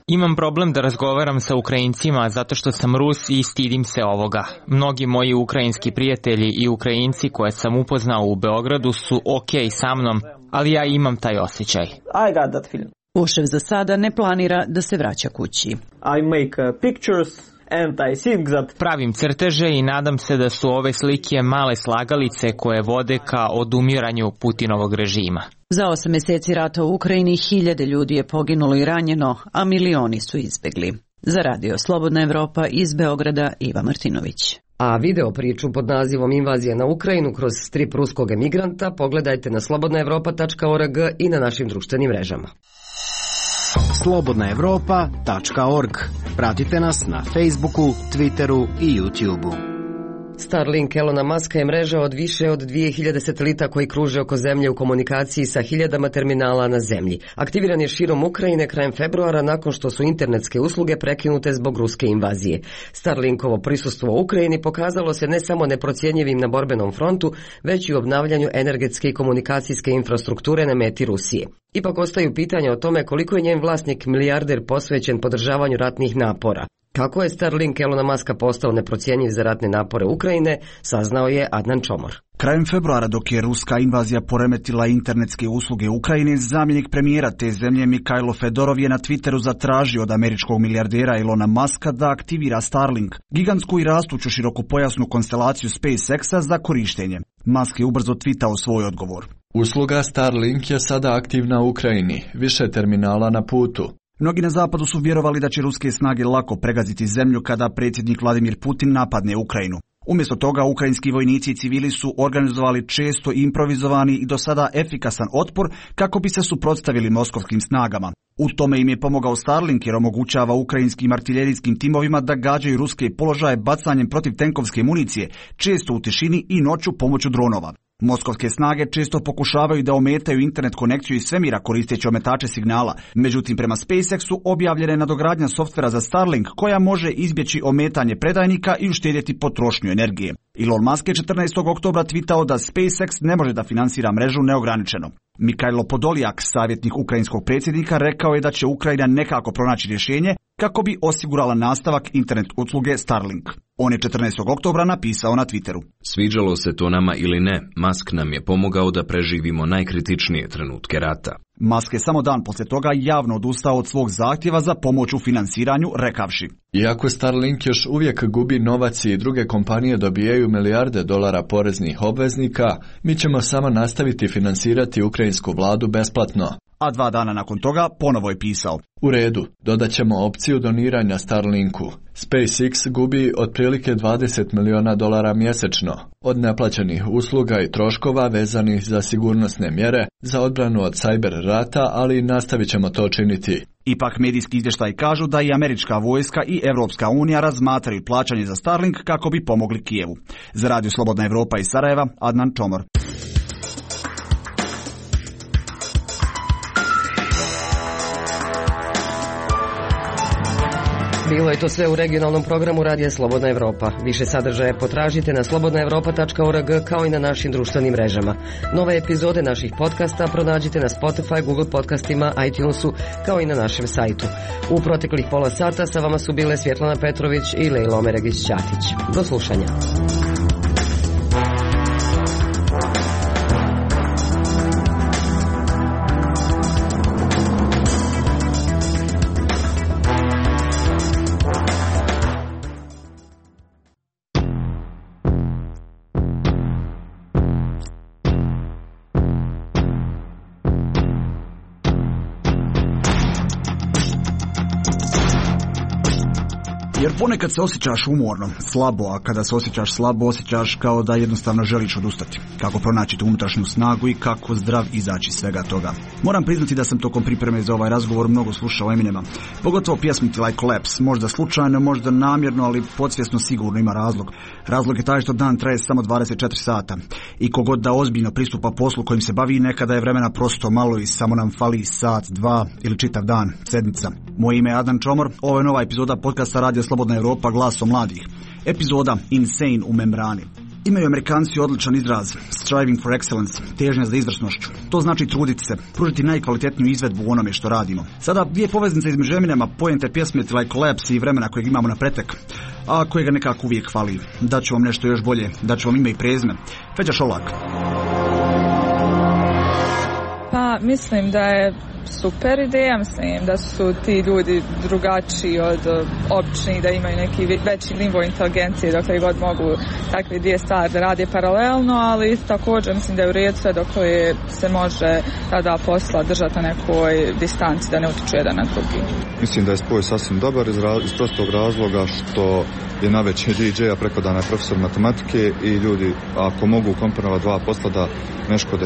Imam problem da razgovaram sa Ukrajincima zato što sam Rus i stidim se ovoga. Mnogi moji ukrajinski prijatelji i Ukrajinci koje sam upoznao u Beogradu su okej sa mnom, ali ja imam taj osjećaj. Pušev za sada ne planira da se vraća kući. Pravim crteže i nadam se da su ove slike male slagalice koje vode ka odumiranju Putinovog režima. Za 8 mjeseci rata u Ukrajini 1000 ljudi je poginulo i ranjeno, a milioni su izbjegli. Za Radio Slobodna Evropa iz Beograda, Iva Martinović. A video priču pod nazivom Invazija na Ukrajinu kroz strip ruskog emigranta pogledajte na slobodnaevropa.org i na našim društvenim mrežama. slobodnaevropa.org. Pratite nas na Facebooku, Twitteru i YouTubeu. Starlink Elona Muska je mreža od više od 2000 satelita koji kruže oko zemlje u komunikaciji sa hiljadama terminala na zemlji. Aktiviran je širom Ukrajine krajem februara nakon što su internetske usluge prekinute zbog ruske invazije. Starlinkovo prisustvo u Ukrajini pokazalo se ne samo neprocjenjivim na borbenom frontu, već i u obnavljanju energetske i komunikacijske infrastrukture na meti Rusije. Ipak ostaju pitanja o tome koliko je njen vlasnik milijarder posvećen podržavanju ratnih napora. Kako je Starlink Elona Muska postao neprocjenjiv za ratne napore Ukrajine, saznao je Adnan Čomor. Krajem februara, dok je ruska invazija poremetila internetske usluge Ukrajine, zamjenik premijera te zemlje Mikhailo Fedorov je na Twitteru zatražio od američkog milijardera Elona Muska da aktivira Starlink, gigantsku i rastuću širokopojasnu konstelaciju SpaceX-a za korištenje. Musk je ubrzo twitao svoj odgovor. Usluga Starlink je sada aktivna u Ukrajini, više terminala na putu. Mnogi na zapadu su vjerovali da će ruske snage lako pregaziti zemlju kada predsjednik Vladimir Putin napadne Ukrajinu. Umjesto toga, ukrajinski vojnici i civili su organizovali često improvizovani i do sada efikasan otpor kako bi se suprotstavili moskovskim snagama. U tome im je pomogao Starlink jer omogućava ukrajinskim artiljerijskim timovima da gađaju ruske položaje bacanjem protivtenkovske municije, često u tišini i noću pomoću dronova. Moskovske snage često pokušavaju da ometaju internet konekciju iz svemira koristeći ometače signala, međutim prema SpaceX-u objavljena je nadogradnja softvera za Starlink koja može izbjeći ometanje predajnika i uštedjeti potrošnju energije. Elon Musk je 14. oktobra tvitao da SpaceX ne može da finansira mrežu neograničeno. Mikhailo Podoljak, savjetnik ukrajinskog predsjednika, rekao je da će Ukrajina nekako pronaći rješenje kako bi osigurala nastavak internet usluge Starlink. On je 14. oktobra napisao na Twitteru. Sviđalo se to nama ili ne, Musk nam je pomogao da preživimo najkritičnije trenutke rata. Musk je samo dan poslije toga javno odustao od svog zahtjeva za pomoć u finansiranju, rekavši: Iako Starlink još uvijek gubi novac i druge kompanije dobijaju milijarde dolara poreznih obveznika, mi ćemo samo nastaviti finansirati ukrajinsku vladu besplatno. A 2 dana nakon toga ponovo je pisao: U redu, dodat ćemo opciju doniranja Starlinku. SpaceX gubi otprilike $20 milijuna mjesečno od neplaćenih usluga i troškova vezanih za sigurnosne mjere za odbranu od cyber rata, ali nastavit ćemo to činiti. Ipak medijski izvještaji kažu da i američka vojska i Europska unija razmatraju plaćanje za Starlink kako bi pomogli Kijevu. Za Radio Slobodna Evropa iz Sarajeva, Adnan Čomor. Bilo je to sve u regionalnom programu Radija Slobodna Evropa. Više sadržaja potražite na slobodnaevropa.org kao i na našim društvenim mrežama. Nove epizode naših podcasta pronađite na Spotify, Google podcastima, iTunesu kao i na našem sajtu. U proteklih pola sata sa vama su bile Svjetlana Petrović i Lejla Omeregić-Ćatić. Do slušanja. Jer ponekad se osjećaš umorno, slabo, a kada se osjećaš slabo, osjećaš kao da jednostavno želiš odustati. Kako pronaći tu unutrašnju snagu i kako zdrav izaći svega toga. Moram priznati da sam tokom pripreme za ovaj razgovor mnogo slušao Eminema. Pogotovo pjesmici Like Collapse, možda slučajno, možda namjerno, ali podsvjesno sigurno ima razlog. Razlog je taj što dan traje samo 24 sata. I kogod da ozbiljno pristupa poslu kojim se bavi, nekada je vremena prosto malo i samo nam fali sat, dva ili čitav dan, sedmica. Moje ime je Adnan Čomor, ovo je nova epizoda podcasta Radija Slobodna Evropa, glasom mladih. Epizoda Insane u membrani. Imaju Amerikanci odličan izraz, striving for excellence, težnja za izvrsnošću. To znači truditi se, pružiti najkvalitetniju izvedbu u onome što radimo. Sada dvije poveznice između Eminema, poente pjesme Like Collapse i vremena kojeg imamo na pretek, a kojega nekako uvijek fali. Daću vam nešto još bolje, daću vam ime i prezime. Feđa Šolak. Pa mislim da je super ideja, mislim da su ti ljudi drugačiji od običnih, da imaju neki veći nivo inteligencije dokle god mogu takve dvije stvari da rade paralelno, ali također mislim da je u redu sve dokle se može tada posla držati na nekoj distanci da ne utiču jedan na drugi. Mislim da je spoj sasvim dobar iz prostog razloga što je najveći DJ-a preko dana profesor matematike i ljudi ako mogu komponovati dva posla da ne škode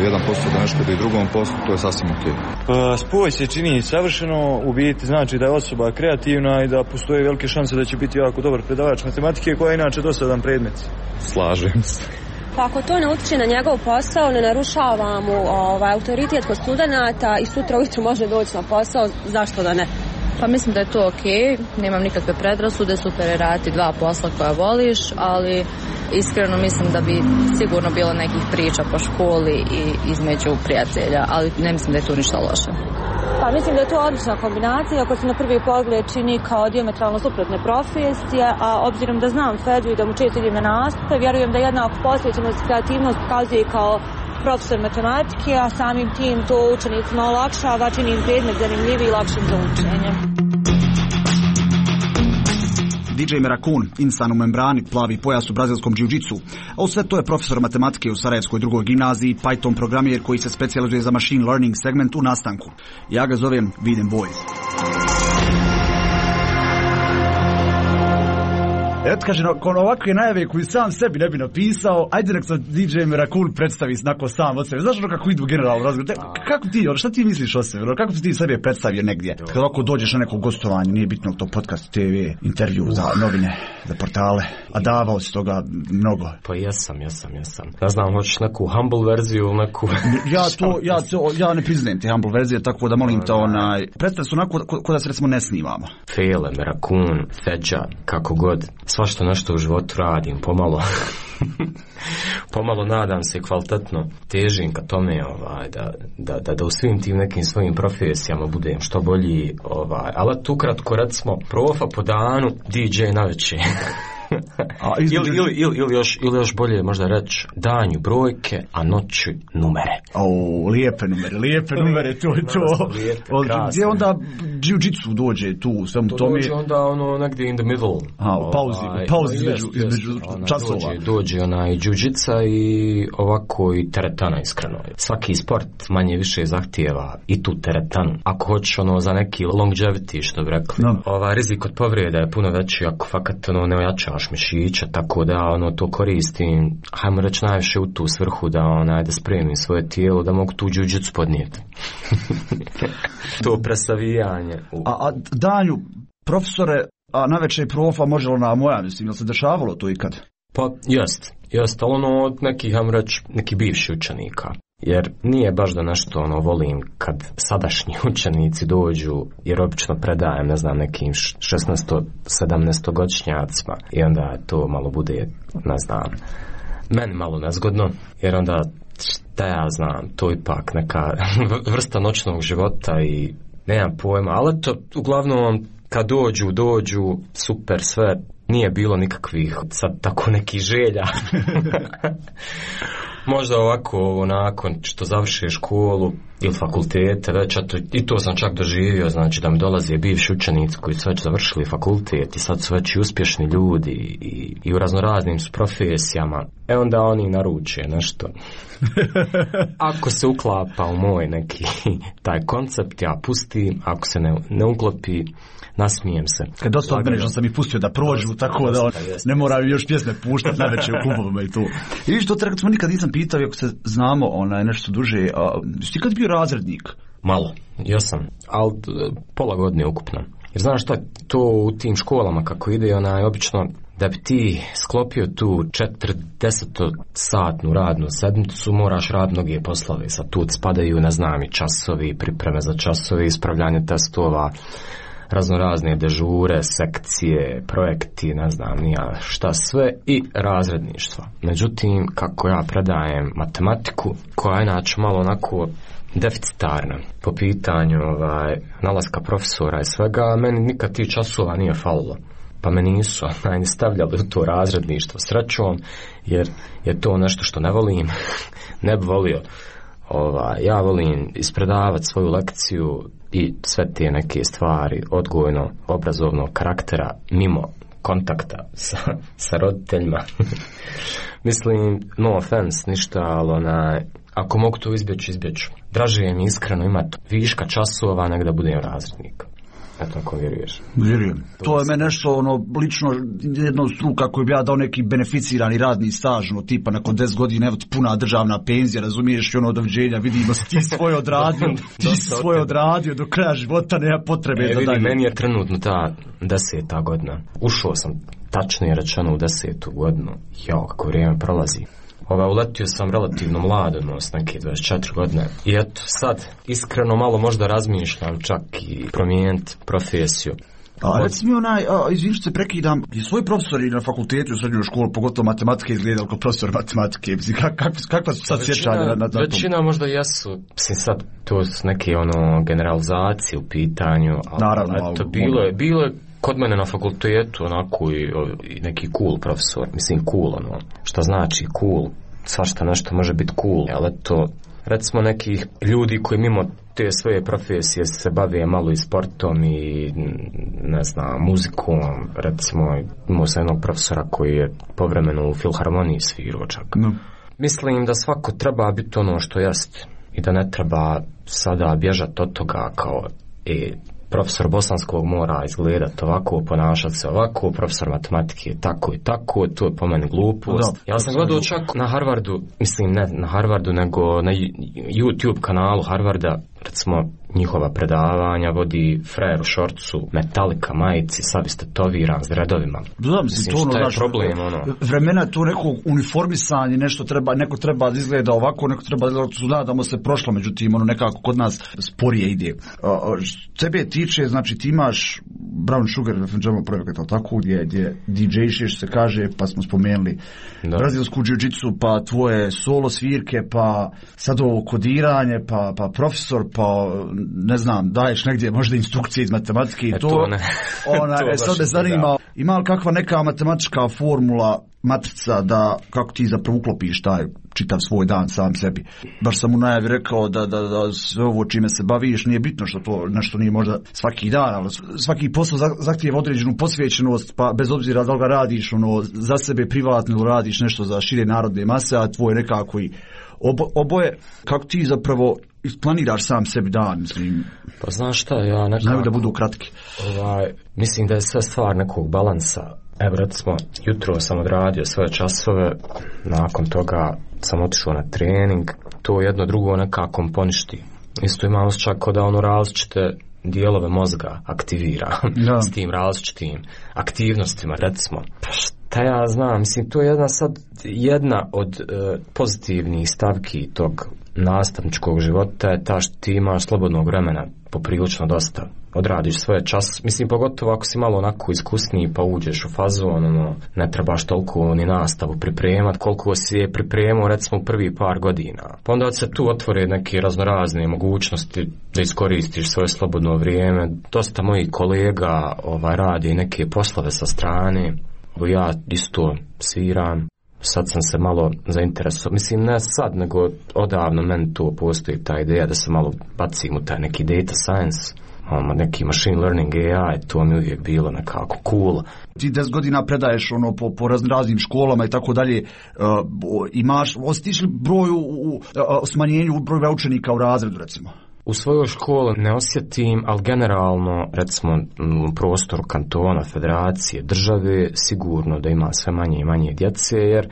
jedan posao, da ne škode i drugom poslu, to je sasvim ok. Spoj se čini savršeno, u biti znači da je osoba kreativna i da postoje velike šanse da će biti jako dobar predavač matematike koja je inače dosadan predmet. Slažem se. Pa ako to ne utiče na njegov posao, ne narušava mu autoritet kod studenata i sutra ujutro može doći na posao, zašto da ne? Pa mislim da je to ok, nemam nikakve predrasude, super je raditi dva posla koja voliš, ali iskreno mislim da bi sigurno bilo nekih priča po školi i između prijatelja, ali ne mislim da je tu ništa loše. Pa mislim da je to odlična kombinacija koja se na prvi pogled čini kao dijametralno suprotne profesije, a obzirom da znam Feđu i da mu često idem na nastupe, vjerujem da jednako posvećenost i kreativnost pokazuje kao profesor matematike, a samim tim to učenicima olakšava, čini im predmet zanimljiviji i lakšim za učenje. DJ Merakun, insan u membrani, plavi pojas u brazilskom džiu-džicu, a u sve to je profesor matematike u Sarajevskoj drugoj gimnaziji, Python programer koji se specijalizuje za machine learning segment u nastanku. Ja ga zovem Viden Boys. Eto kaže, nakon ovakve najave koju sam sebi ne bi napisao, ajde nek se DJ Merakun predstavi snako sam od sebe. Znaš ono kako idu generalno razgovor? Kako ti, šta ti misliš o sebi? Kako ti sebe predstavio negdje? Kad ovako dođeš na neko gostovanje, nije bitno to podcast, TV, intervju za novine, za portale, a davao si toga mnogo. Pa jesam. Ne znam, hoćeš neku humble verziju, neku... Ja ne priznajem te humble verzije, tako da molim te predstav se onako ko da se recimo ne snimamo. Fele, Merakun, Feđa, kako god. Svašta nešto u životu radim, pomalo nadam se kvalitetno, težim ka tome da u svim tim nekim svojim profesijama budem što bolji, ali tu kratko recimo profa po danu, DJ na večer. ili još bolje možda reći danju brojke, a noću numere. Lijepe numere, to je to. Gdje onda jiu-jitsu dođe tu u svemu tome? Dođe onda negdje in the middle. Pauzi između časova. Dođe i jiu-jitsa i ovako i teretana, iskreno. Svaki sport manje više zahtijeva i tu teretanu. Ako hoćeš za neki longevity, što bi rekli, rizik od povreda je puno veći ako fakat ne ojačaš mišića, tako da to koristim, hajmo reći najviše u tu svrhu da spremim svoje tijelo, da mogu tu jiu-jitsu podnijeti. To presavijanje. A danju, profesore, a navečer profa može li na moja, mislim, jel se dešavalo to ikad? Pa, jest, ali od nekih, hajmo reći, nekih bivših učenika. jer nije baš da nešto volim kad sadašnji učenici dođu, jer obično predajem, ne znam, nekim 16-17 godišnjacima i onda to malo bude, ne znam, meni malo nezgodno, jer onda šta ja znam, to ipak neka vrsta noćnog života i nemam pojma, ali to uglavnom kad dođu super sve, nije bilo nikakvih sad tako nekih želja. Možda ovako nakon što završe školu ili fakultete, već i to sam čak doživio, znači da mi dolaze bivši učenici koji su već završili fakultet i sad su već i uspješni ljudi i u raznoraznim su profesijama. Onda oni naruče nešto. Ako se uklapa u moj neki taj koncept, ja pustim, ako se ne uklopi, nasmijem se. Kad dosta odmene sam ih pustio da prođu, tako da ne moraju još pjesme puštati najveće u klubovima i tu. I viš, to smo nikad nisam pitao, ako se znamo nešto duže, ti kad bio razrednik? Malo, ja sam, ali pola godine ukupno. Jer znaš šta, to u tim školama kako ide, obično da bi ti sklopio tu 40-satnu radnu sedmicu, moraš raditi mnoge poslove. Sad tu spadaju, ne znam, i časovi, pripreme za časove, ispravljanje testova, raznorazne dežure, sekcije, projekti, ne znam nija šta sve i razredništvo. Međutim, kako ja predajem matematiku, koja je inače malo onako deficitarna po pitanju nalaska profesora i svega, meni nikad tih časova nije falilo. Pa me nisu stavljali u to razredništvo srećom, jer je to nešto što ne volim, ne bi volio. Ja volim ispredavati svoju lekciju i sve te neke stvari odgojno-obrazovnog karaktera mimo kontakta sa roditeljima. Mislim, no offense, ništa, ali ako mogu to izbjeći. Draže mi iskreno imati viška časova nego da budem razrednik. Eto, ako vjeruješ. Vjerujem. To je meni nešto, lično jedna struka koju bi ja dao neki beneficirani radni staž, tipa nakon 10 godina, evo ti puna državna penzija, razumiješ, i doviđenja, vidimo se, ti svoj odradio do kraja života, nema potrebe za dalje. Meni je trenutno ta 10. godina. Ušao sam, tačnije rečeno, u 10. godinu. Kako vrijeme prolazi. Uletio sam relativno mlado, s neke 24 godine. I eto, sad, iskreno malo možda razmišljam čak i promijeniti profesiju. Reci mi izvini što se prekidam, je svoji profesori na fakultetu u srednjoj školi, pogotovo matematike, izgledali kao profesor matematike? Kakva su sad sjećanja na to? Većina možda jesu, sad to su neke generalizacije u pitanju, ali naravno, eto, bilo je kod mene na fakultetu onako i neki cool profesor, mislim cool šta znači cool, svašta nešto može biti cool, ali to recimo nekih ljudi koji mimo te svoje profesije se bave malo i sportom i ne znam, muzikom, recimo imao sam jednog profesora koji je povremeno u filharmoniji svirao čak. Mislim da svako treba biti ono što jest i da ne treba sada bježati od toga kao profesor bosanskog mora izgledati ovako, ponašati se ovako, profesor matematike je tako i tako, to je po meni glupost. Ja sam gledao čak na Harvardu, mislim ne na Harvardu, nego na YouTube kanalu Harvarda, recimo njihova predavanja vodi frajer u šorcu, Metallica majici, sad ste toviran s redovima. Mislim, šta je problem, vremena to neko uniformisanje, neko treba da izgleda ovako, neko treba da izgleda, nadamo se prošlo, međutim, nekako kod nas sporije ide. Tebe tiče, znači ti imaš Brown Sugar Jam projekat, ali tako, gdje DJ-šiš se kaže, pa smo spomenuli brazilsku jiu-jitsu, pa tvoje solo svirke, pa sad ovo kodiranje, pa profesor, pa ne znam, daješ negdje možda instrukcije iz matematike i to. Sad me zanima, ima li kakva neka matematička formula, matrica, da kako ti zapravo uklopiš taj čitav svoj dan sam sebi. Baš sam u najavi rekao da sve ovo čime se baviš nije bitno što to nešto nije možda svaki dan, ali svaki posao zahtijeva određenu posvećenost, pa bez obzira da li ga radiš za sebe privatno ili radiš nešto za šire narodne mase, a tvoj nekako i oboje, kako ti zapravo isplaniraš sam sebi dan, mislim. Pa znaš šta, ja nekako znaju da budu kratki. Mislim da je sve stvar nekog balansa. Evo recimo, jutro sam odradio svoje časove, nakon toga sam otišao na trening, to jedno drugo nekako poništi. Isto imam osjećaj kao da različite dijelove mozga aktivira s tim različitim aktivnostima, recimo. Pa šta ja znam, mislim, to je jedna od pozitivnih stavki tog nastavničkog života je ta što ti imaš slobodnog vremena poprilično dosta. Odradiš svoje čas, mislim, pogotovo ako si malo onako iskusniji pa uđeš u fazon, ne trebaš toliko ni nastavu pripremat koliko si je pripremao recimo u prvi par godina. Pa onda se tu otvore neke raznorazne mogućnosti da iskoristiš svoje slobodno vrijeme. Dosta mojih kolega radi neke poslove sa strane, ja isto sviram. Sad sam se malo zainteresovao, mislim ne sad, nego odavno meni tu postoji ta ideja da se malo bacim u taj neki data science, neki machine learning AI, to mi uvijek bilo nekako cool. Ti 10 godina predaješ po raznim školama i tako dalje, osjetiš li broj u smanjenju broja učenika u razredu recimo? U svojoj školi ne osjetim, ali generalno, recimo, u prostoru kantona, federacije, države, sigurno da ima sve manje i manje djece, jer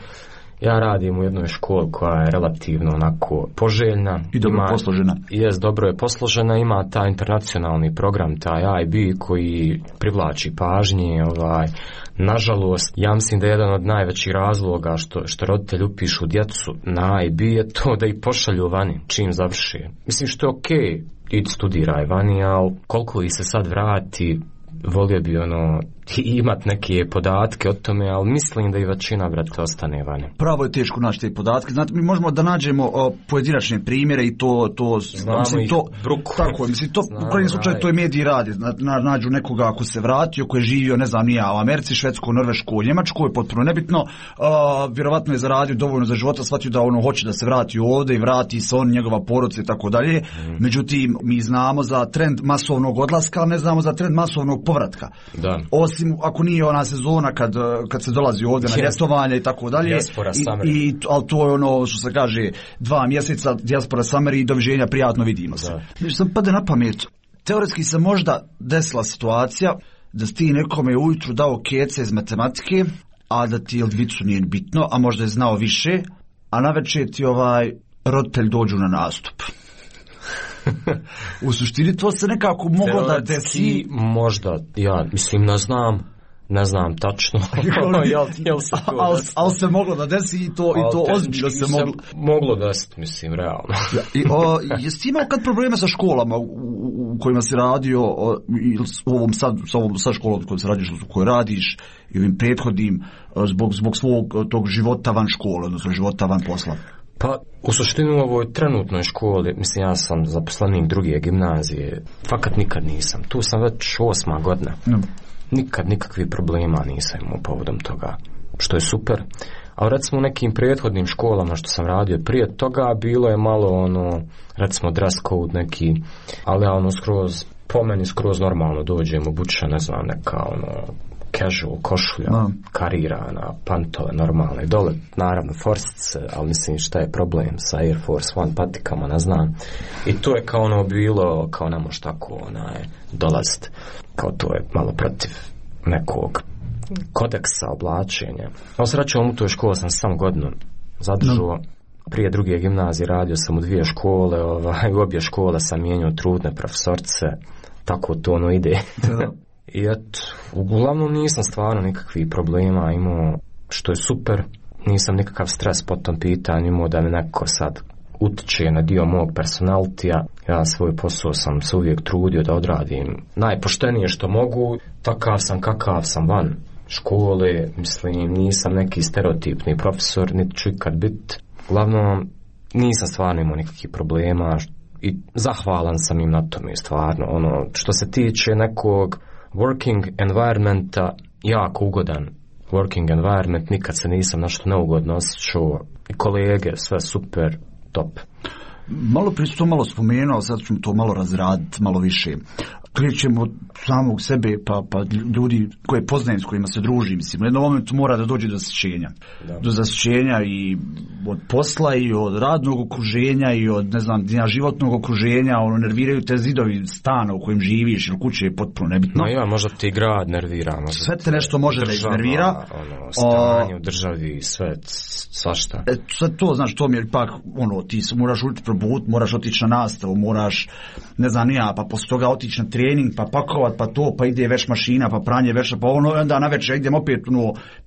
ja radim u jednoj školi koja je relativno onako poželjna. I dobro posložena. Dobro je posložena, ima taj internacionalni program, taj IB koji privlači pažnje. Nažalost, ja mislim da je jedan od najvećih razloga što roditelji upišu djecu na IB je to da ih pošalju vani čim završi. Mislim što je okej, idi studiraj vani, ali koliko ih se sad vrati, volio bi imat neke podatke o tome, ali mislim da i većina, brate, ostane vani. Pravo je teško naći te podatke. Znate, mi možemo da nađemo pojedinačne primjere i to znamo ih bruku. Tako je, mislim, to u krajnjem slučaju to je mediji radi. Nađu nekoga ako se vratio, ko je živio, ne znam, u Americi, Švedskoj, Norveškoj, Njemačkoj, potpuno nebitno, vjerovatno je zaradio dovoljno za života, shvatio da hoće da se vrati ovdje i vrati se on, njegova porodica i tako dalje. Međutim, mi znamo za trend masovnog odlaska, ali ne znamo za trend masovnog povratka. Da. Osim ako nije ona sezona kad se dolazi ovdje na ljetovanje i tako dalje. Ali to je što se kaže 2 mjeseca dijaspora summer i doviđenja, prijatno vidimo se. Znači sam pade na pamet, teoretski se možda desila situacija da si ti nekome ujutru dao kece iz matematike, a da ti dvicu nije bitno, a možda je znao više, a navečer ti roditelj dođu na nastup. U suštini to se nekako moglo da desi. Možda, ja mislim ne znam tačno. Ali se moglo da desi i to ozbiljno se moglo. Moglo desiti, mislim, realno. Jesi imao kad probleme sa školama u kojima si radio, sa školom u kojoj radiš i ovim prethodnim, zbog svog tog života van škole, odnosno života van posla? Pa, u suštini u ovoj trenutnoj školi, mislim, ja sam zaposlenik druge gimnazije, fakat nikad nisam. Tu sam već 8. godina. Nikad nikakvih problema nisam imao povodom toga, što je super. A recimo u nekim prethodnim školama što sam radio prije toga, bilo je malo recimo dress code neki, ali ja po meni skroz normalno dođem obučen, ne znam, neka casual košulja, karirana, pantove normalne, dole naravno forsice, ali mislim šta je problem sa Air Force One patikama, ne znam. I to je kao bilo, kao ne može tako dolaziti, kao to je malo protiv nekog kodeksa oblačenja. A srećom u toj školi sam sam godinu zadržao. Prije druge gimnazije radio sam u 2 škole, u obje škole sam mijenjao trudne profesorce, tako to ide. I uglavnom nisam stvarno nikakvih problema imao, što je super, nisam nikakav stres po tom pitanju imao da mi neko sad utiče na dio mog personalitija. Ja svoj posao sam se uvijek trudio da odradim najpoštenije što mogu, takav sam kakav sam van škole, mislim, nisam neki stereotipni profesor, niti ću ikad biti. Uglavnom, nisam stvarno imao nikakvih problema i zahvalan sam im na tome, stvarno. Što se tiče nekog working environmenta, jako ugodan working environment, nikad se nisam nešto neugodno osjećao, i kolege, sve super, top. Malo prije to malo spomenuo, sad ćemo to malo razraditi, malo više. Krećemo od samog sebe, pa ljudi koje poznajem, s kojima se družim, mislim, u jednom momentu mora da dođe do zasićenja. Do zasićenja i od posla i od radnog okruženja i od, ne znam, životnog okruženja, nerviraju te zidovi stana u kojem živiš ili kuće, je potpuno nebitno. Možda ti grad nervira. Sve te nešto može da iznervira. Stanje u državi, sve, svašta. Sve to, znaš, to mi je ipak, ti se moraš probuditi, moraš otići na nastavu, moraš, ne znam, pa posle toga otići na trening, pa pakovat, pa to, pa ide veš mašina, pa pranje veša, pa ono, onda na večer idemo opet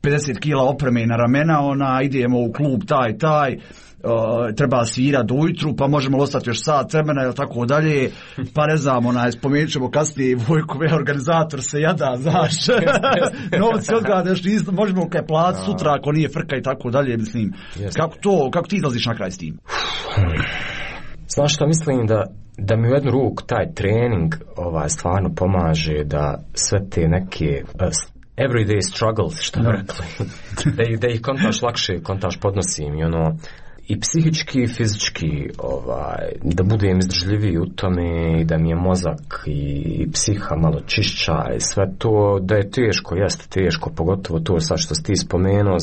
50 kila opreme na ramena, idemo u klub taj, treba svirati ujutru, pa možemo ostati još sat vremena ili tako dalje, pa ne znam, spomenut ćemo kasnije Vojkove, organizator se jada, znaš, novci odgadaš, možemo kaj plat sutra ako nije frka i tako dalje, mislim, kako ti izlaziš na kraj s tim? Znaš što, mislim da mi u jednu ruku taj trening stvarno pomaže da sve te neke everyday struggles, što bi rekli, da ih kontaš lakše, kontaš podnosim i i psihički i fizički da budem izdržljiviji u tome i da mi je mozak i psiha malo čišća i sve to, da je teško, jeste teško, pogotovo to sad što si ti spomenuo,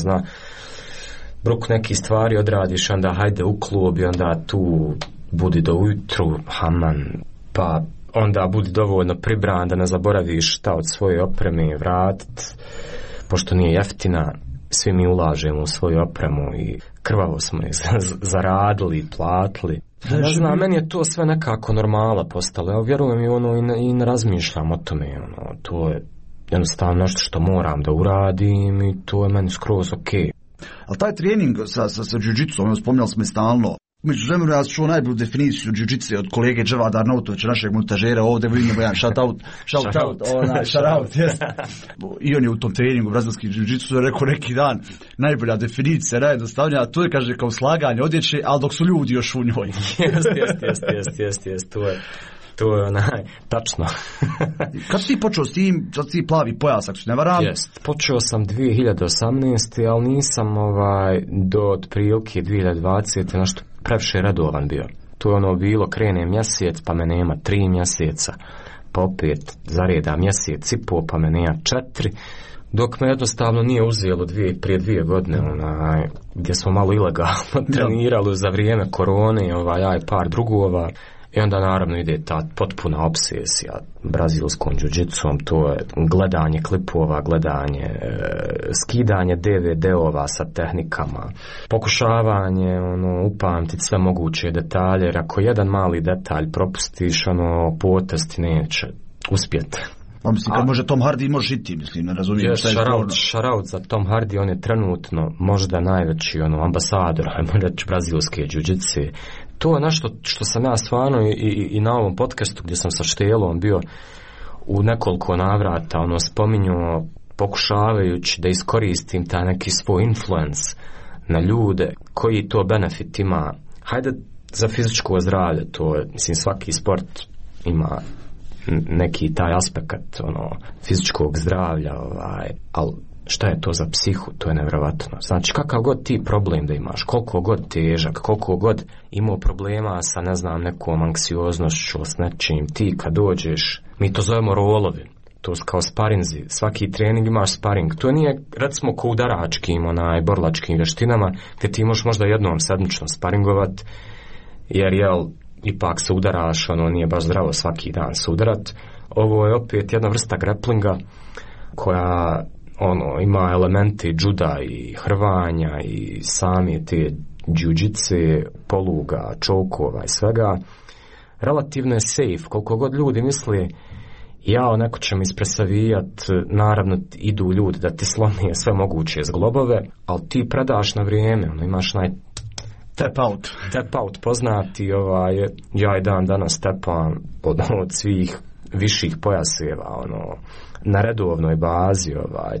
bruk neki stvari odradiš, onda hajde u klub i onda tu budi do ujutru, haman, pa onda budi dovoljno pribran da ne zaboraviš šta od svoje opreme vratit, pošto nije jeftina, svi mi ulažemo u svoju opremu i krvavo smo je zaradili i platili. Ne znam, meni je to sve nekako normala postalo. Ja vjerujem i ne razmišljam o tome. To je jednostavno nešto što moram da uradim i to je meni skroz okej. Ali taj trening sa jiu-jitsu, spominjali smo i stalno, među vremenu ja čuo najbolju definiciju jiu-jitsu od kolege Dževada Arnautovića, našeg montažera, ovdje vidimo jedan shout out, i on je u tom treningu brazilski jiu-jitsu rekao neki dan, najbolja definicija, najjednostavnija, to je, kaže, kao slaganje odjeće, ali dok su ljudi još u njoj. Jest, to je tačno. Kad si počeo s tim, sad si plavi pojas, ako se ne varam? Jest, počeo sam 2018. ali nisam do otprilike 2020. nešto previše redovan bio. To je bilo, krene mjesec, pa me nema 3 mjeseca, pa opet zareda mjesec i pol, pa me nema 4, dok me jednostavno nije uzelo prije 2 godine, gdje smo malo ilegalno trenirali za vrijeme korone, ja i par drugova. I onda naravno ide ta potpuna obsesija brazilskom jiu-jitsom, to je gledanje klipova, gledanje, skidanje DVD-ova sa tehnikama, pokušavanje upamtiti sve moguće detalje, jer ako jedan mali detalj propustiš, potez ti neće uspjeti. Mislim, kad može Tom Hardy, možeš i ti, mislim, ne razumijem šta je sporno. Shoutout za Tom Hardy, on je trenutno možda najveći ambasador, ajmo reći, brazilske jiu-jitse. To je nešto što sam ja stvarno i na ovom podcastu gdje sam sa Štelom bio u nekoliko navrata spominjao, pokušavajući da iskoristim taj neki svoj influence na ljude, koji to benefit ima. Hajde za fizičko zdravlje, to je, mislim, svaki sport ima neki taj aspekt fizičkog zdravlja, ali šta je to za psihu, to je nevjerovatno. Znači, kakav god ti problem da imaš, koliko god težak, koliko god imao problema sa, ne znam, nekom anksioznošću, s nečim, ti kad dođeš, mi to zovemo rolovi, to su kao sparinzi, svaki trening imaš sparing, to nije, recimo, ko udaračkim, borlačkim vještinama, gdje ti možeš možda jednom sedmično sparingovat, jer, ipak se udaraš, nije baš zdravo svaki dan se udarat. Ovo je opet jedna vrsta grapplinga koja ima elemente juda i hrvanja i sami te jiu-jitse, poluga, čokova i svega. Relativno je safe, koliko god ljudi misli neko će mi ispresavijat, naravno idu ljudi da ti slomije sve moguće zglobove, ali ti predaš na vrijeme, imaš tap out poznati, ja i dan danas tepam od svih viših pojaseva, na redovnoj bazi,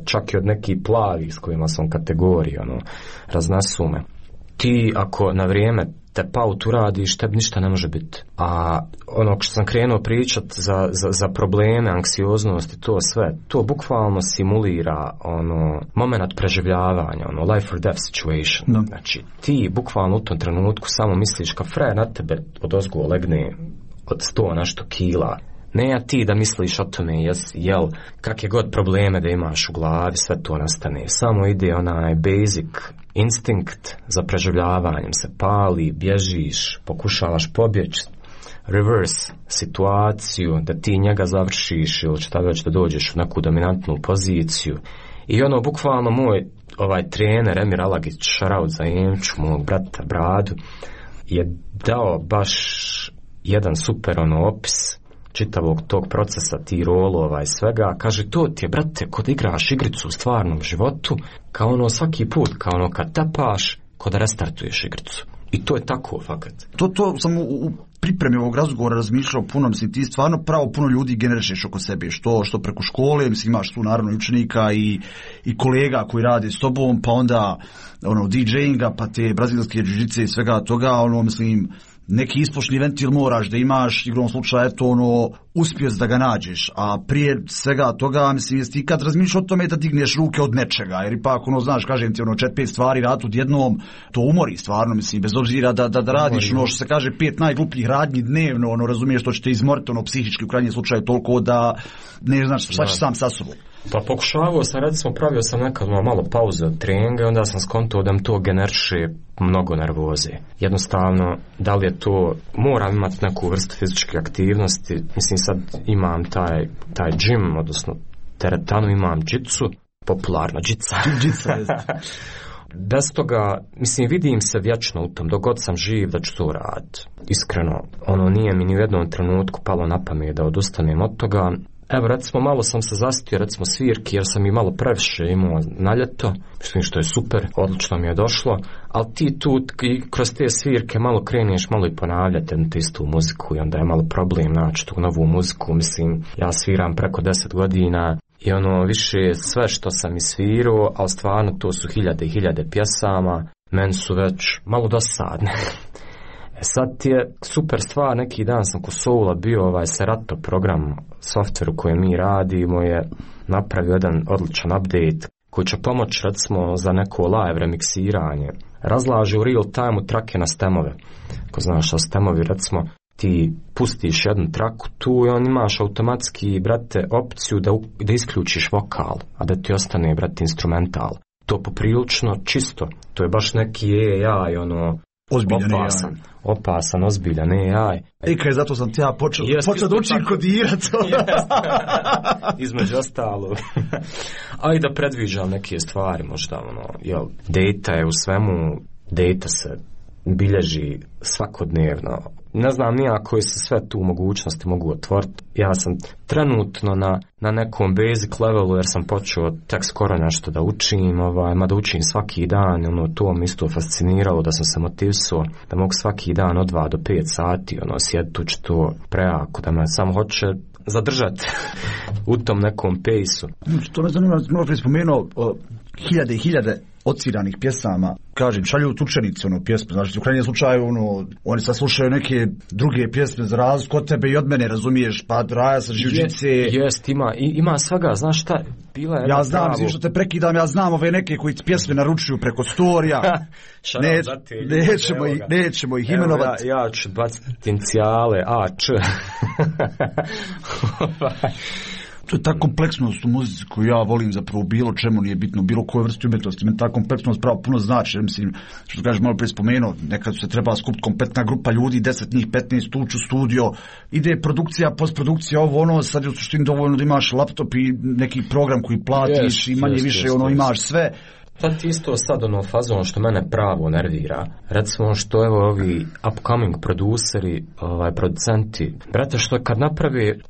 čak i od nekih plavih s kojima sam kategoriji, raznesu me. Ti ako na vrijeme tap out uradiš, tebi ništa ne može biti. A što sam krenuo pričat za probleme, anksioznost i to sve, to bukvalno simulira moment preživljavanja, life or death situation. No. Znači, ti bukvalno u tom trenutku samo misliš ka frajer na tebe odozgo legne od 100 nešto kila. Ne ti da misliš o tome, kakve god probleme da imaš u glavi, sve to nastane. Samo ide basic instinkt za preživljavanjem se pali, bježiš, pokušavaš pobjeći, reverse situaciju, da ti njega završiš ili šta već da dođeš u neku dominantnu poziciju. I bukvalno moj trener Emir Alagić, šaraut za Emču, mog brata Bradu, je dao baš jedan super opis čitavog tog procesa, ti rolova i svega, kaže, to ti je, brate, kod igraš igricu u stvarnom životu, kao ono svaki put, kao ono kad tapaš, kod da restartuješ igricu. I to je tako, fakat. To sam u pripremi ovog razgovora razmišljao puno, mislim, ti stvarno pravo puno ljudi generišeš oko sebe, što preko škole, mislim, imaš tu naravno učenika i kolega koji rade s tobom, pa onda DJ-inga, pa te brazilske jiu-jitsu i svega toga, mislim, neki ispošni ventil moraš da imaš, igrom slučaja, uspješ da ga nađeš, a prije svega toga, mislim, jesi ti kad razmišljaš o tome da digneš ruke od nečega, jer ipak, znaš, kažem ti, 4-5 stvari rad odjednom, to umori stvarno, mislim, bez obzira da radiš, što se kaže, 5 najglupljih radnji dnevno, razumiješ, to će te izmoriti, psihički u krajnjem slučaju toliko da ne znaš šta ćeš sam sa sobom. Pa pokušavao sam, recimo, pravio sam nekad malo pauze od treninga i onda sam skontao da mi to generiše mnogo nervoze. Jednostavno, da li je to, moram imati neku vrstu fizičke aktivnosti, mislim sad imam taj gym, odnosno teretanu, imam džicu, popularna džica. Bez toga, mislim, vidim se vječno u tom, dok god sam živ da ću to raditi. Iskreno, nije mi ni u jednom trenutku palo na pamet da odustanem od toga. Evo, recimo, malo sam se zasitio, recimo, svirki, jer sam i malo previše imao na ljeto, što je super, odlično mi je došlo, ali ti tu kroz te svirke malo kreneš, malo i ponavljate na istu muziku i onda je malo problem naći tu novu muziku, mislim, ja sviram preko 10 godina i više sve što sam isvirao, ali stvarno to su hiljade i hiljade pjesama, meni su već malo dosadne. Sad ti je super stvar, neki dan sam kod Soula bio Serato program, softveru koji mi radimo je napravio jedan odličan update koji će pomoći recimo za neko live remiksiranje. Razlaže u real time trake na stemove. Ako znaš što stemovi, recimo ti pustiš jednu traku tu i on imaš automatski, brate, opciju da isključiš vokal, a da ti ostane, brate, instrumental. To poprilično čisto, to je baš neki AI, opasan, ozbiljan AI. Kaj, zato sam ti ja počeo da učim kodirati. Između ostalo. A i da predviđam neke stvari, možda, data je u svemu, data se bilježi svakodnevno. Ne znam nija koje se sve tu mogućnosti mogu otvoriti. Ja sam trenutno na nekom basic levelu jer sam počeo tek skoro nešto da učim, mada učim svaki dan, to me isto fasciniralo da sam se motivisao da mogu svaki dan od 2 do 5 sati, sjediti uči to prejako, da me samo hoće zadržati u tom nekom pejsu. To me zanima, malo prije spomenuo hiljade i hiljade odsviranih pjesama, kažem, šalju učenici pjesme, znači u krajnjem slučaju oni sad slušaju neke druge pjesme za razliku od tebe i od mene, razumiješ, pa raja sa žiuđice. Jest, ima svega, znaš šta, bila je... Ja znam, što te prekidam, ja znam ove neke koji pjesme naručuju preko storija, nećemo ih imenovati. Ja ću baciti inicijale, A.Č. To je ta kompleksnost u muzici koju ja volim, zapravo bilo čemu nije bitno, bilo koje vrste umjetnosti, meni ta kompleksnost pravo puno znači, jer mislim, što kažeš malo prije spomenuo, nekad se treba skupiti kompletna grupa ljudi, 10 njih, 15 ući u studio, ide produkcija, postprodukcija, sad je u suštini dovoljno da imaš laptop i neki program koji platiš i manje više imaš sve. Sad isto sad fazon što mene pravo nervira, recimo što ovi upcoming produceri, producenti, brate, što kad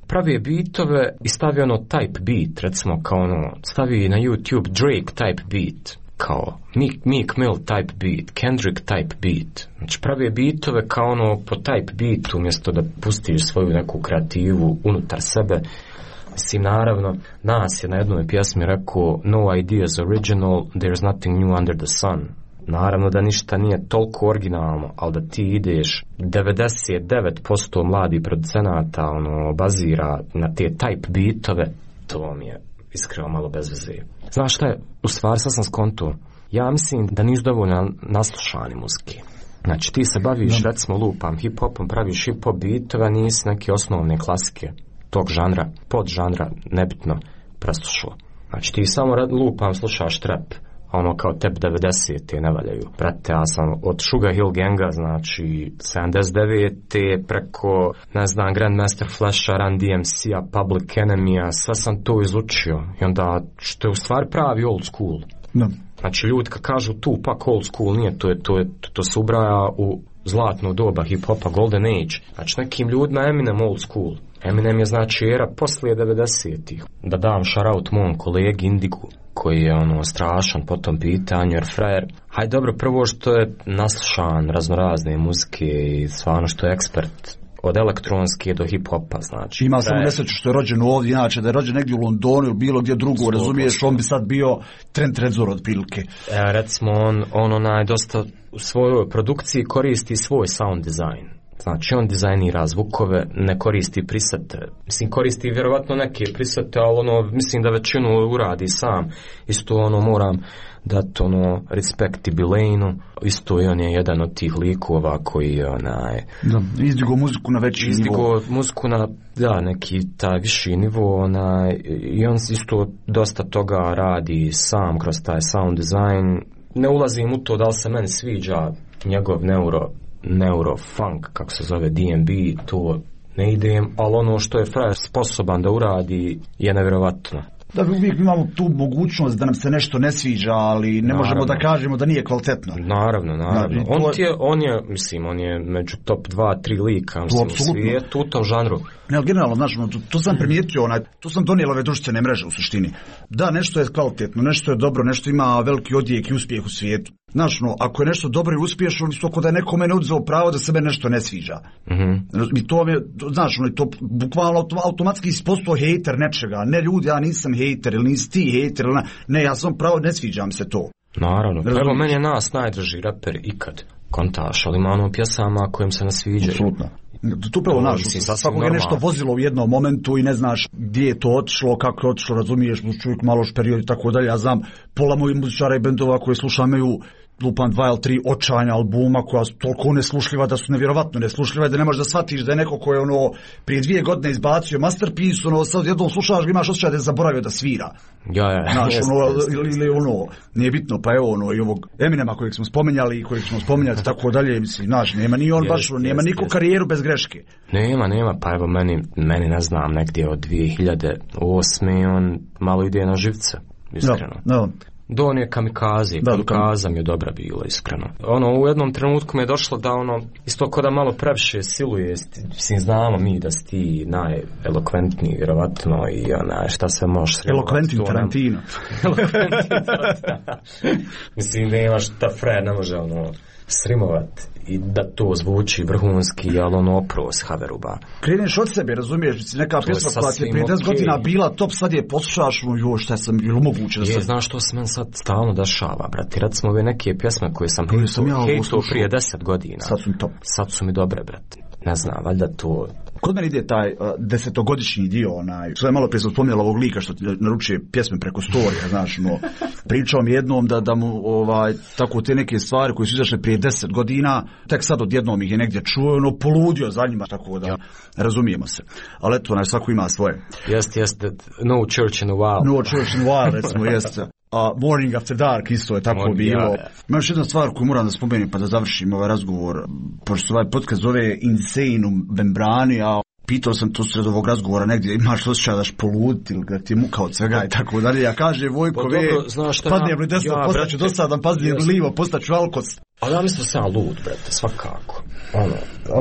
pravi beatove i stavi type beat, recimo kao stavi na YouTube Drake type beat, kao Meek Mill type beat, Kendrick type beat, znači pravi beatove kao po type beatu umjesto da pustiš svoju neku kreativu unutar sebe. Mislim, naravno, nas je na jednoj pjesmi rekao no ideas original, there's nothing new under the sun. Naravno da ništa nije toliko originalno, ali da ti ideš 99% mladih producenata bazira na te type beatove, to mi je iskreno malo bez veze. Znaš šta je, u stvari sad sam skonto, ja mislim da nisu dovoljno naslušani muzike. Znači ti se baviš, recimo lupam hip-hopom, praviš hip-hop beatove, nisi neke osnovne klasike tog žanra, podžanra, nebitno, preslušao. Znači ti samo lupam, slušaš trap, kao tebi 90-te ne valjaju. Brate, ja sam od Sugar Hill Ganga, znači 79-te preko, ne znam, Grandmaster Flasha, Run DMC-a, Public Enemy-a, sve sam to izučio. I onda, što je u stvari pravi old school. No. Znači ljudi kad kažu Tupac old school, nije, to se ubraja u zlatno doba hip-hopa, Golden Age. Znači nekim ljudima Eminem old school. Eminem je znači era poslije 90-ih. Da dam shoutout mom kolegi Indigu, koji je strašan po tom pitanju, jer frajer, hajde dobro, prvo što je naslušan raznorazne muzike i stvarno što je ekspert od elektronske do hip-hopa, znači. Ima samo nesreću što je rođen ovdje, inače da je rođen negdje u Londonu ili bilo gdje drugo, razumiješ, on bi sad bio Trent Reznor od prilike. Recimo, on dosta u svojoj produkciji koristi svoj sound design. Znači, on dizajnira zvukove, ne koristi presete. Mislim, koristi vjerovatno neke presete, ali mislim da većinu uradi sam. Isto moram dati respekt Bilane'u. Isto i on je jedan od tih likova koji je izdigo muziku na veći nivo. Izdigo muziku na, neki taj viši nivo, i on isto dosta toga radi sam kroz taj sound design. Ne ulazim u to da li se meni sviđa njegov neurofunk, kako se zove, DnB, to ne idem, ali ono što je frajer sposoban da uradi je nevjerovatno. Da, uvijek imamo tu mogućnost da nam se nešto ne sviđa, ali ne možemo da kažemo da nije kvalitetno. Naravno. On je među top 2-3 lika u svijetu u tom žanru. Ne, ali generalno, znaš, to sam primijetio, to sam donijela ove društvene mreže u suštini. Da, nešto je kvalitetno, nešto je dobro, nešto ima veliki odjek i uspjeh u svijetu. Znaš, ako je nešto dobro i uspješno, isto ako da je neko mene uzeo pravo da se mene nešto ne sviđa. I to je, znaš, to bukvalno automatski si postao hejter nečega. Ne ljudi, ja nisam hejter, ili nisi ti hejter, ne, ja sam pravo, ne sviđam se to. Naravno, prvo meni je nas najdrži raper ikad. Kontaš, ali ima pjesama kojim se ne sviđaju. Apsolutno. Tu pravo naš, svakog je nešto vozilo u jednom momentu i ne znaš gdje je to otišlo, kako je otišlo, razumiješ, čovjek malo period i tako dalje. Ja znam, pola mojih muzičara i bendova koje slušam imaju lupan 2 ili 3 očajna albuma koja su toliko neslušljiva da su nevjerovatno neslušljiva da ne možeš da shvatiš da je neko ko je prije 2 godine izbacio masterpiece, sad jednom slušaš ga imaš osjećaj da je zaboravio da svira. Znaš, ili nije bitno, pa evo i ovog Eminema kojeg smo spomenjali i kojeg ćemo spomenjati tako dalje, mislim, znaš, nema ni on baš, nema niko karijeru bez greške. Nema, pa evo meni ne znam, negdje od 2008. on malo ide na živce, iskreno. Da. Don je kamikaze, kamikaza mi je dobra bila, iskreno. U jednom trenutku mi je došlo da isto ko da malo previše siluje, mislim, znamo mi da si ti najelokventniji, vjerovatno, i šta sve možeš srimati. Elokventni Tarantino. Mislim, nema šta frajer ne može srimovat i da to zvuči vrhunski, ali opros haveruba. Kreneš od sebe, razumiješ, neka pjesma koja ti je prije 10 godina bila top, sad je poslušaš, šta sam bilo moguće da se... Znaš što se meni sad stalno dešava, brate, recimo ove neke pjesme koje sam hejtao prije 10 godina. Sad su mi dobre, brate. Ne znam, valjda to... Kod mene ide taj 10-godišnji dio, što je malo prije sam spominjala ovog lika što naručuje pjesme preko storija, znaš, pričao mi jednom da mu tako te neke stvari koje su izašle prije 10 godina, tek sad odjednom ih je negdje čuo, poludio za njima, tako da razumijemo se. Ali eto, svako ima svoje. Jeste, no church in a while. No church in a while, recimo, jeste. Morning After Dark isto je tako bilo. Ima još jedna stvar koju moram da spomenem pa da završim ovaj razgovor, pošto ovaj podcast zove Insane u membrani, a pitao sam to sred ovog razgovora negdje, imaš osjećaj daš poluditi ili da ti je muka od svega i tako dalje. Ja kaže Vojko, padnijem li desno, postaću dosadan, padnijem li livo, postaću alkos. Ali ja mislim da sam lud, brate, svakako.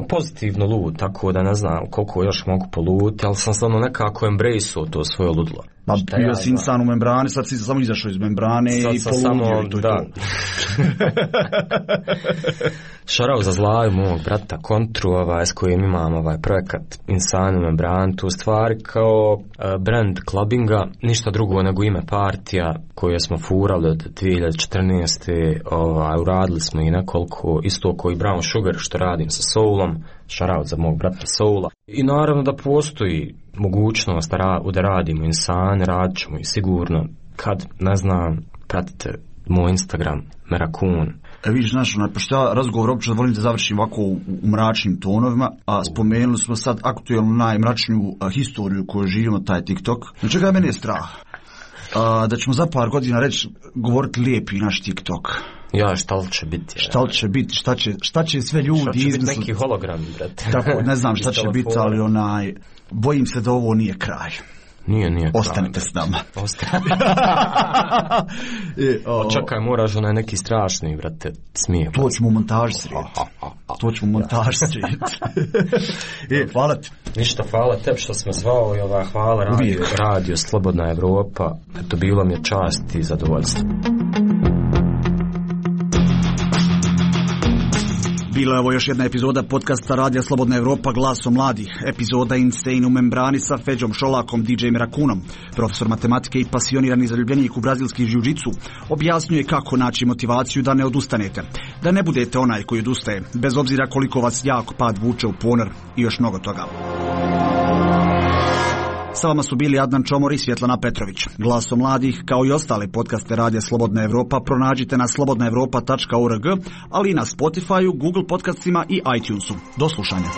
Pozitivno lud, tako da ne znam koliko još mogu poluditi, ali sam stvarno nekako embrace-o to svoje ludlo. Pa bio si insan u membrani, sad si samo izašao iz membrane i poludio i to je to. Šarao za Zlaju mog brata Kontru, s kojim imam projekat Insan u membrani, tu stvari kao brand clubbinga, ništa drugo nego ime partija koje smo furali od 2014. Uradili smo i nekoliko, isto koji Brown Sugar što radim sa Soulom, šarao za mog brata Soula. I naravno da postoji mogućnost da radimo Insan, radit ćemo i sigurno kad, ne znam, pratite moj Instagram, Merakun. Vidiš, pošto ja razgovor uopće volim da završim ovako u mračnim tonovima, a spomenuli smo sad aktualnu najmračniju historiju koju živimo, taj TikTok. Na čega meni je strah? Da ćemo za par godina govoriti lijepi naš TikTok. Šta li će biti? Šta će sve ljudi izmisliti? Šta će biti neki hologram, brate? Tako, ne znam šta će biti, ali bojim se da ovo nije kraj. Nije. Ostanite s nama. Čekaj, moraš neki strašni, brate, smije. To ćemo u montaži srediti. To ćemo montažiti. Hvala ti. Ništa, hvala tebi što smo zvao i hvala radio Slobodna Evropa. Eto, bilo mi je čast i zadovoljstvo. Bila je ovo još jedna epizoda podcasta Radija Slobodna Evropa Glasom mladih. Epizoda Insane u membrani sa Feđom Šolakom, DJ Merakunom. Profesor matematike i pasionirani zaljubljenik u brazilski jiu-jitsu objasnjuje kako naći motivaciju da ne odustanete. Da ne budete onaj koji odustaje, bez obzira koliko vas jak pad vuče u ponor i još mnogo toga. Sa vama su bili Adnan Čomor i Svjetlana Petrović. Glasom mladih, kao i ostale podcaste Radija Slobodna Evropa, pronađite na slobodnaevropa.org, ali i na Spotifyu, Google podcastima i iTunesu. Do slušanja.